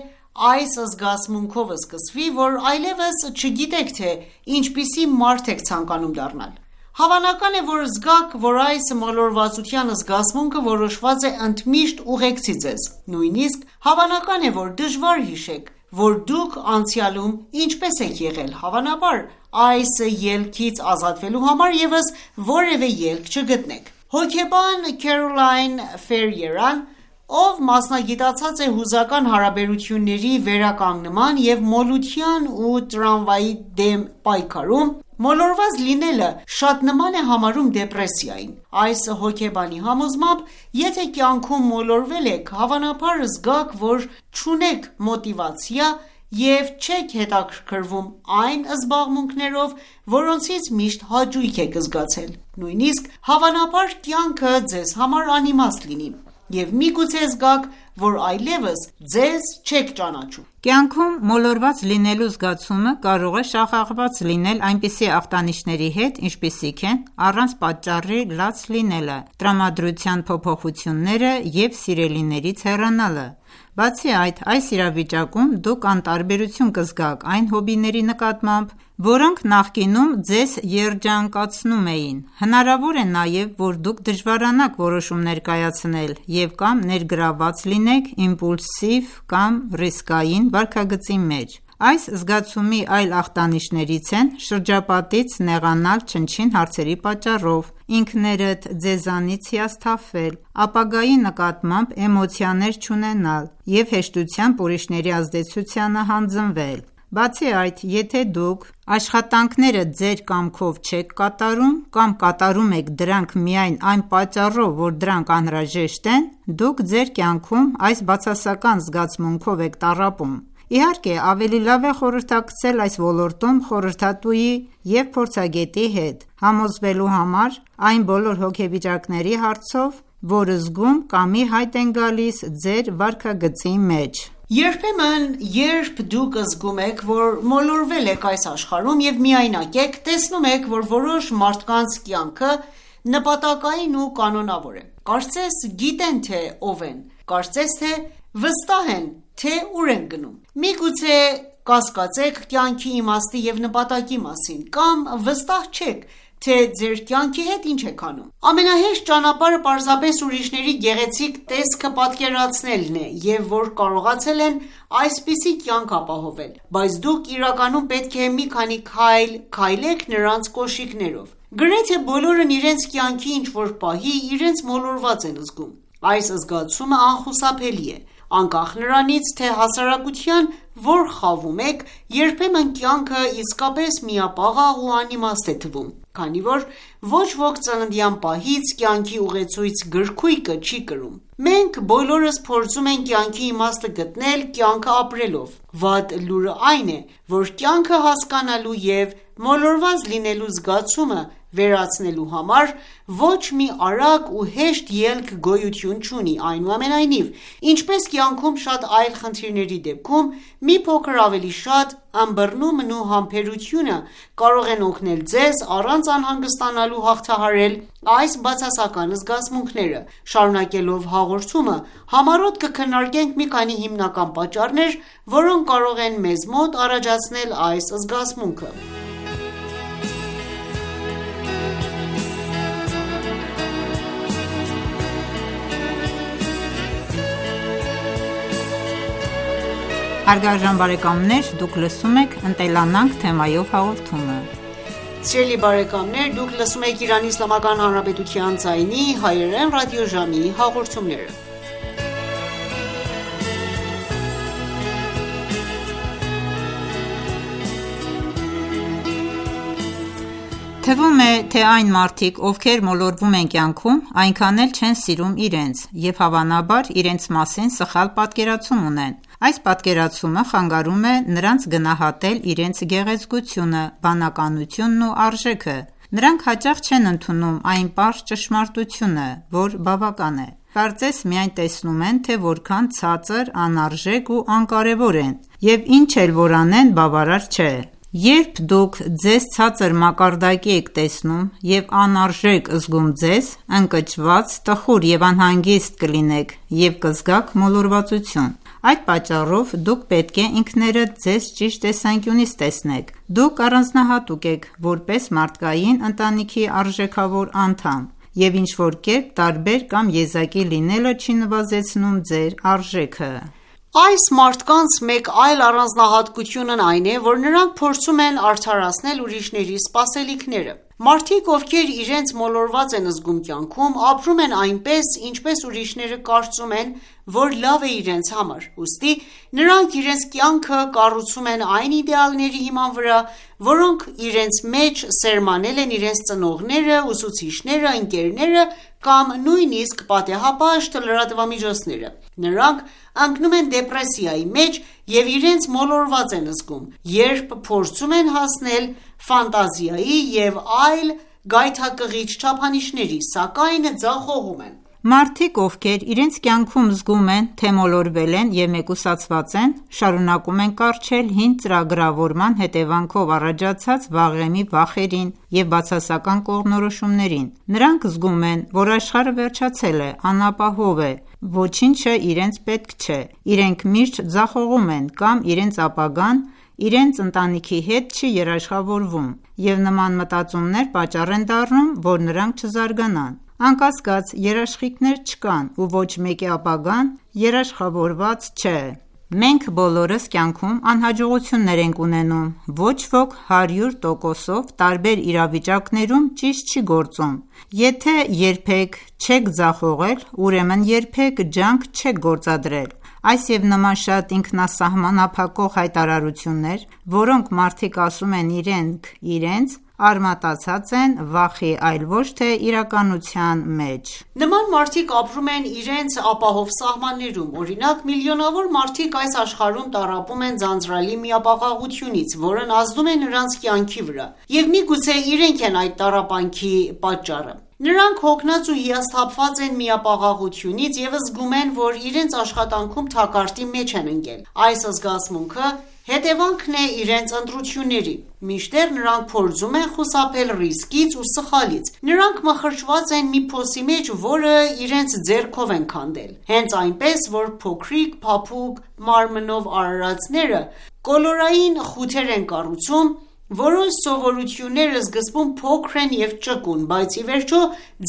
այս զգացմունքով սկսվի, որ այլևս չգիտեք, թե ինչպիսի մարդ եք ցանկանում դառնալ։ Հավանական է, որ զգաք, որ այս մոլորվածության զգացմունքը որոշված է ընդմիշտ ուղեկցի ձեզ։ Նույնիսկ հավանական է, որ դժվար հիշեք, որ դուք անցյալում ինչպես եք եղել։ Հավանաբար այս ելքից ազատվելու համար ևս որևէ ելք չգտնեք։ Հոգեբան Քերոլայն Ֆերիերան, ով մասնագիտացած է հուզական հարաբերությունների վերականգնման և մոլության ու տրավմայի դեմ պայքարում, մոլորված լինելը շատ նման է համարում դեպրեսիային։ Այս հոգեբանի համոզմամբ, եթե կյանքում մոլորվել եք, հավանաբար զգաք, որ չունեք մոտիվացիա և չեք հետաքրքրվում այն զբաղմունքներով, որոնցից միշտ հաճույք եք զգացել։ Նույնիսկ հավանաբար կյանքը ձեզ համար անիմաստ լինի, և միգուցե զգաք, որ այլևս ձեզ չեք ճանաչում։ Կյանքում մոլորված լինելու զգացումը կարող է շաղախված լինել այնպիսի ախտանիշների հետ, ինչպիսիք են առանց պատճառի լաց լինելը, տրամադրության փոփոխությունները և սիրելիներից հեռանալը։ Բացի այդ, այս իրավիճակում դուք անտարբերություն կզգաք այն հոբիների նկատմամբ, որոնք նախկինում ձեզ երջանկացնում էին։ Հնարավոր է նաև, որ դուք դժվարանաք որոշումներ կայացնել և կամ ներգրավված լինեք իմպուլսիվ կամ ռիսկային վարքագծի մեջ։ Այս զգացումի այլ ախտանիշներից են շրջապատից նեղանալ չնչին հարցերի պատճառով, ինքներդ ձեզանից հիասթափվել, ապագայի նկատմամբ էմոցիաներ չունենալ և հեշտությամբ ուրիշների ազդեցությանը հանձնվել։ Բացի այդ, եթե դուք աշխատանքները ձեր կամքով չեք կատարում կամ կատարում եք դրանք միայն այն պատճառով, որ դրանք անհրաժեշտ են, դուք ձեր կյանքում այս բացասական զգացմունքով եք տառապում։ Իհարկե, ավելի լավ է խորհրդակցել այս ոլորտում խորհրդատուի և փորձագետի հետ, համոզվելու համար այն բոլոր հոգեվիճակների հարցով, որ զգում կամ ի հայտ են գալիս ձեր վարքագծի մեջ։ Երբեմն, երբ դուք զգում եք, որ մոլորվել եք այս աշխարհում և միայնակ եք, տեսնում եք, որ որոշ մարդկանց կյանքը նպատակային ու կանոնավոր է։ Կարծես գիտեն, թե ով են, կարծես թե վստահ են, թե ուր են գնում։ Միգուցե կասկածեք կյանքի իմաստի և նպատակի մասին, կամ վստահ չեք, թե ձեր կյանքի հետ ինչ եք անում։ Ամենահեշտ ճանապարհը պարզապես ուրիշների գեղեցիկ տեսքը պատկերացնելն է, և որ կարողացել են այսպիսի կյանք ապահովել, բայց դուք իրականում պետք է մի քանի քայլ քայլեք նրանց կոշիկներով։ Գրեթե բոլորն իրենց կյանքի ինչ-որ պահի իրենց մոլորված են զգում։ Այս զգացումը անխուսափելի է, անկախ նրանից, թե հասարակության որ խավում եք, երբեմն կյանքը իսկապես միապաղաղ ու անիմաստ է թվում, քանի որ ոչ ոք ծննդյան պահից կյանքի ուղեցույց գրքույկը չի կրում։ Մենք բոլորս փորձում ենք կյանքի իմաստը գտնել կյանքը ապրելով։ Վատ լուրը այն է, որ կյանքը հասկանալու և մոլորված լինելու զգացումը վերացնելու համար ոչ մի արագ ու հեշտ ելք գոյություն չունի։ Այնուամենայնիվ, ինչպես կյանքում շատ այլ խնդիրների դեպքում, մի փոքր ավելի շատ ըմբռնումն ու համբերությունը կարող են օգնել ձեզ առանց անհանգստանալու հաղթահարել այս բացասական զգացմունքները։ Շարունակելով հաղորդումը, համառոտ կքննարկենք մի քանի հիմնական պատճառներ, որոնք կարող են մեզ մոտ առաջացնել այս զգացմունքը։ Հարգարժան բարեկամներ, դուք լսում եք «Ընտելանանք» թեմայով հաղորդումը։ Սիրելի բարեկամներ, դուք լսում եք Իրանի Իսլամական Հանրապետության ձայնի հայերեն ռադիոժամի հաղորդումները։ Թվում է, թե այն մարդիկ, ովքեր մոլորվում են կյանքում, այնքան էլ չեն սիրում իրենց և հավանաբար իրենց մասին սխալ պատկերացում ունեն։ Այս պատկերացումը խանգարում է նրանց գնահատել իրենց գեղեցկությունը, բանականությունն ու արժեքը։ Նրանք հաճախ չեն ընդունում այն պարզ ճշմարտությունը, որ բավական է։ Կարծես միայն տեսնում են, թե որքան ցածր, անարժեք ու անկարևոր են, և ինչ էլ որ անեն բավարար չէ։ Երբ դուք ձեզ ցածր մակարդակի եք տեսնում և անարժեք զգում ձեզ, ընկճված, տխուր և անհանգիստ կլինեք և կզգաք մոլորվածություն: Այդ պատճառով դուք պետք է ինքներդ ձեզ ճիշտ տեսանկյունից տեսնեք: Դուք առանձնահատուկ եք որպես մարդկային ընտանիքի արժեքավոր անդամ, և ինչ-որ կերպ տարբեր կամ եզակի լինելը չի նվազեցնում ձեր արժեքը: Այս մարդկանց մեկ այլ առանձնահատկությունն այն է, որ նրանք փորձում են արդարացնել ուրիշների սպասելիքները: Մարդիկ, ովքեր իրենց մոլորված են զգում կյանքում, ապրում են այնպես, ինչպես ուրիշները կարծում են, որ լավ է իրենց համար: Ուստի նրանք իրենց կյանքը կառուցում են այն իդեալների հիման վրա, որոնք իրենց մեջ սերմանել են իրենց ծնողները, ուսուցիչները, ընկերները կամ նույնիսկ պատեհապաշտ լրատվամիջոցները: Նրանք ընկնում են դեպրեսիայի մեջ և իրենց մոլորված են զգում, երբ փորձում են հասնել ֆանտազիայի և այլ գայթակղիչ չափանիշների, սակայն ձախողում են: Մարդիկ, ովքեր իրենց կյանքում զգում են, թե մոլորվել են և մեկուսացված են, շարունակում են կառչել հին ծրագրավորման հետևանքով առաջացած վաղեմի վախերին և բացասական կողմնորոշումներին: Նրանք զգում են, որ աշխարհը վերջացել է, անապահով է, ոչինչը իրենց պետք չէ: Իրենք միշտ ձախողում են կամ իրենց ապագան իրենց ընտանիքի հետ չի երաշխավորվում և նման մտածումներ պատճառ են դառնում, որ նրանք չզարգանան: Անկասկած, երաշխիքներ չկան ու ոչ մեկի ապագան երաշխավորված չէ: Մենք բոլորս կյանքում անհաջողություններ ենք ունենում: Ոչ ոք 100%-ով տարբեր իրավիճակներում ճիշտ չի գործում: Եթե երբեք չեք ձախողել, ուրեմն երբեք ջանք չեք գործադրել: Այս և նման շատ ինքնասահմանափակող հայտարարություններ, որոնք մարդիկ ասում են իրենց, արմատացած են վախի, այլ ոչ թե իրականության մեջ: Նման մարդիկ ապրում են իրենց ապահով սահմաններում: Օրինակ, միլիոնավոր մարդիկ այս աշխարհում տառապում են ձանձրալի միապաղաղությունից, որն ազդում է նրանց կյանքի վրա և միգուցե իրենք են այդ տառապանքի պատճառը: Նրանք հոգնած ու հիասթափված են միապաղաղությունից և զգում են, որ իրենց աշխատանքում թակարդի մեջ են ընկել: Այս զգացմունքը հետևանքն է իրենց ընտրությունների: Մինչդեռ նրանք փորձում են խուսափել ռիսկից ու սխալից: Նրանք մխրճված են մի փոսի մեջ, որը իրենց ձեռքով են քանդել: Հենց այնպես, որ փոքրիկ, փափուկ մարմնով արարածները կոլորային խութեր են կառուցում, որոնց սովորությունները սկզբում փոքր են և ճկուն, բայց ի վերջո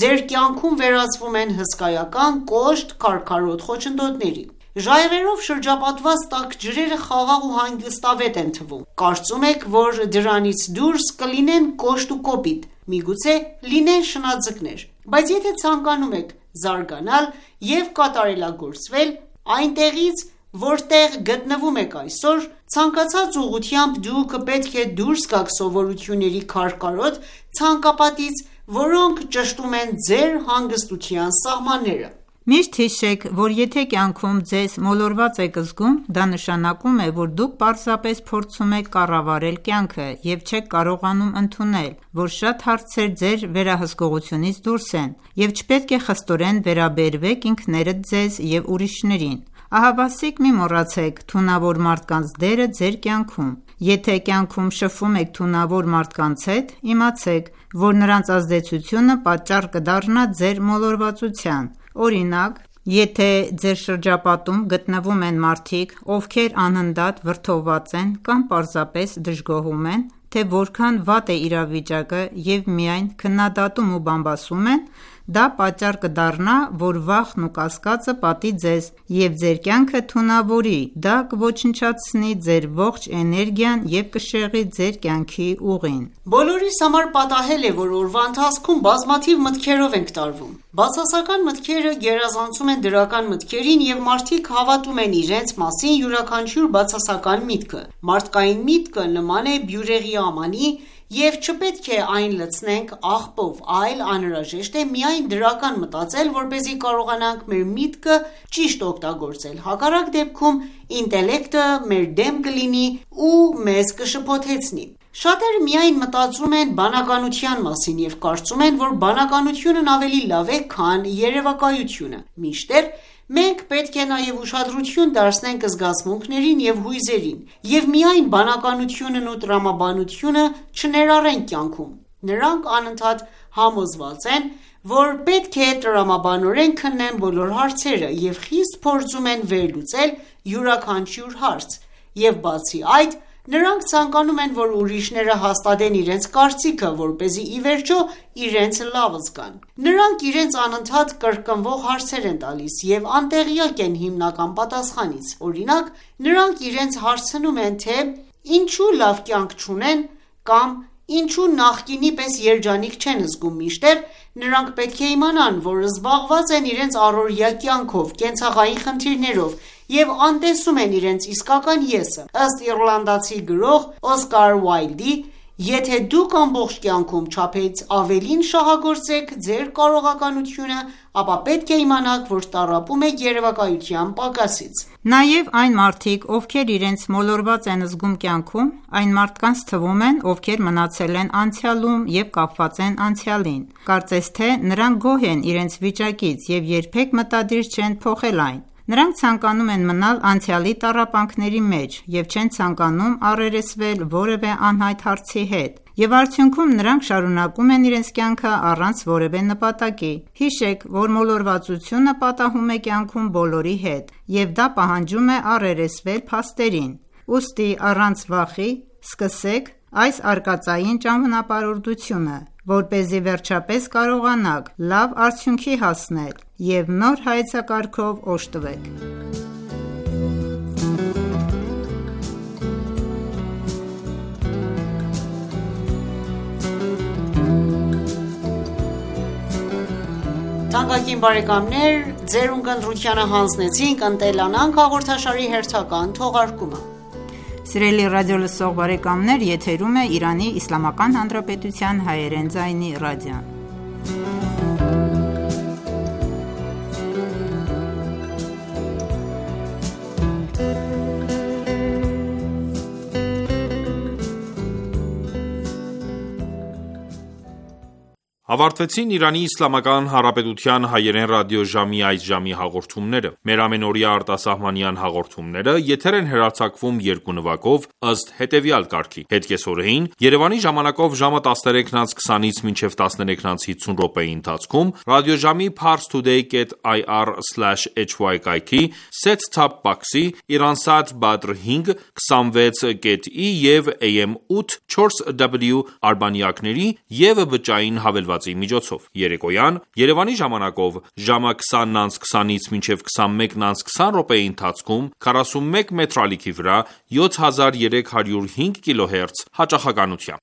ձեր կյանքում վերածվում են հսկայական, կոշտ, քարքարոտ խոչընդոտների: Ժայռերով շրջապատված տաք ջրերը խաղաղ ու հանգստավետ են թվում: Կարծում եք, որ դրանից դուրս կլինեն կոշտ ու կոպիտ, միգուցե լինեն շնաձկներ: Բայց եթե ցանկանում եք զարգանալ և կատարելագործվել այնտեղից, որտեղ գտնվում եք այսօր, ցանկացած ուղղությամբ դուք պետք է դուրս գաք սովորությունների քարքարոտ ցանկապատից, որոնք ճշտում են ձեր հանգստության սահմանները: Միշտ հիշեք, որ եթե կյանքում ձեզ մոլորված եք զգում, դա նշանակում է, որ դուք պարզապես փորձում եք կառավարել կյանքը և չեք կարողանում ընդունել, որ շատ հարցեր ձեր վերահսկողությունից դուրս են և չպետք է խստորեն վերաբերվեք ինքներդ ձեզ և ուրիշներին: Ահավասիկ մի մոռացեք թունավոր մարդկանց դերը ձեր կյանքում: Եթե կյանքում շփվում եք թունավոր մարդկանց հետ, իմացեք, որ նրանց ազդեցությունը պատճառ կդառնա ձեր մոլորվածության: Օրինակ, եթե ձեր շրջապատում գտնվում են մարդիկ, ովքեր անընդհատ վրդովված են կամ պարզապես դժգոհում են, թե որքան վատ է իրավիճակը և միայն քննադատում ու բամբասում են, դա պատճառ կդառնա, որ վախն ու կասկածը պատի ձեզ և ձեր կյանքը թունավորի: Դա կոչնչացնի ձեր ողջ էներգիան և կշեղի ձեր կյանքի ուղին: Բոլորիս համար պատահել է, որ օրվա ընթացքում բազմաթիվ մտքերով ենք տարվում: Բացասական մտքերը գերազանցում են դրական մտքերին և մարդիկ հավատում են իրենց մասին յուրաքանչյուր բացասական միտքը: Մարդկային միտքը նման է բյուրեղի ամանի և չպետք է այն լցնենք աղբով, այլ անհրաժեշտ է միայն դրական մտածել, որպեսզի կարողանանք մեր միտքը ճիշտ օգտագործել: Հակառակ դեպքում ինտելեկտը մեր դեմ կլինի ու մեզ կշփոթեցնի: Շատերը միայն մտածում են բանականության մասին և կարծում են, որ բանականությունն ավելի լավ է, քան երևակայությունը, մինչդեռ մենք պետք է նաև ուշադրություն դարձնենք զգացմունքներին և հույզերին և միայն բանականությունն ու տրամաբանությունը չներառենք կյանքում: Նրանք անընդհատ համոզված են, որ պետք է տրամաբանորեն քննեն բոլոր հարցերը և խիստ փորձում են վերլուծել յուրաքանչյուր հարց, և բացի այդ, նրանք ցանկանում են, որ ուրիշները հաստատեն իրենց կարծիքը, որպեսզի ի վերջո իրենց լավը զգան: Նրանք իրենց անընդհատ կրկնվող հարցեր են տալիս և անտեղյակ են հիմնական պատասխանից: Օրինակ, նրանք իրենց հարցնում են, թե ինչու լավ կյանք չունեն կամ ինչու նախկինի պես երջանիկ չեն զգում, մինչդեռ նրանք պետք է իմանան, որ զբաղված են իրենց առօրյա կյանքով, կենցաղային խնդիրներով և անտեսում են իրենց իսկական ես-ը: Ըստ իռլանդացի գրող Օսկար Ուայլդի, եթե դուք ամբողջ կյանքում չափից ավելին շահագործեք ձեր կարողականությունը, ապա պետք է իմանաք, որ տառապում եք երևակայության պակասից: Նաև այն մարդիկ, ովքեր իրենց մոլորված են զգում կյանքում, այն մարդկանց թվում են, ովքեր մնացել են անցյալում և կապված են անցյալին: Կարծես թե նրանք գոհ են իրենց վիճակից և երբեք մտադիր չեն փոխել այն: Նրանք ցանկանում են մնալ անցյալի տառապանքների մեջ և չեն ցանկանում առերեսվել որևէ անհայտ հարցի հետ և արդյունքում նրանք շարունակում են իրենց կյանքը առանց որևէ նպատակի: Հիշեք, որ մոլորվածությունը պատահում է կյանքում բոլորի հետ և դա պահանջում է առերեսվել փաստերին: Ուստի առանց վախի սկսեք այս արկածային ճանապարհորդությունը, որպեսզի վերջապես կարողանաք լավ արդյունքի հասնել և նոր հայեցակարգով օժտվեք: Ավարտվեցին Իրանի Իսլամական Հանրապետության հայերեն ռադիոժամի այս ժամի հաղորդումները: Մեր ամենօրյա արտասահմանյան հաղորդումները եթեր են հեռարձակվում երկու նվագով, ըստ հետևյալ կարգի: Հետկեսօրեին Երևանի ժամանակով ժամը 13:20-ից մինչև 13:50 րոպեի ընթացքում ռադիոժամի parstoday.ir/hy կայքի set-top box-ի, Iransat Badr 5, 26.E և AM 8 4W արբանյակների և բջջային հավելվածի միջոցով: Երեկոյան Երևանի ժամանակով ժամը 20:20-ից մինչև 21:20 րոպեի ընթացքում 41 մետրալիքի վրա 7305 kHz հաճախականությամբ: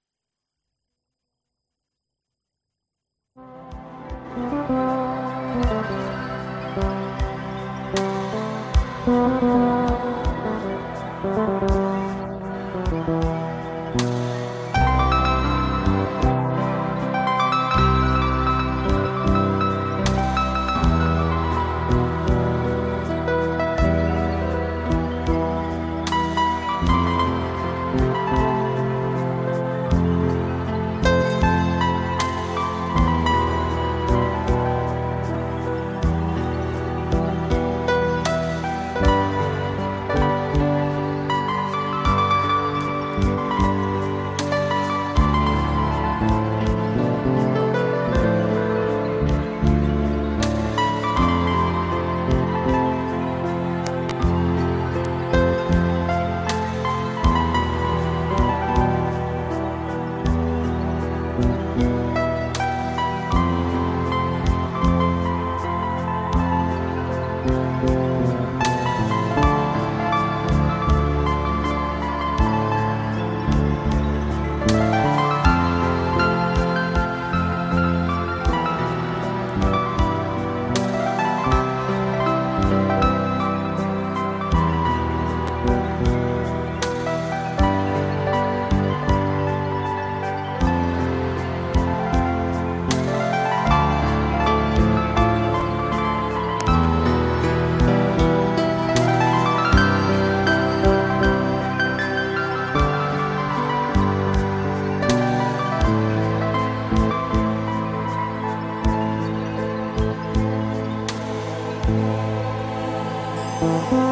Thank you.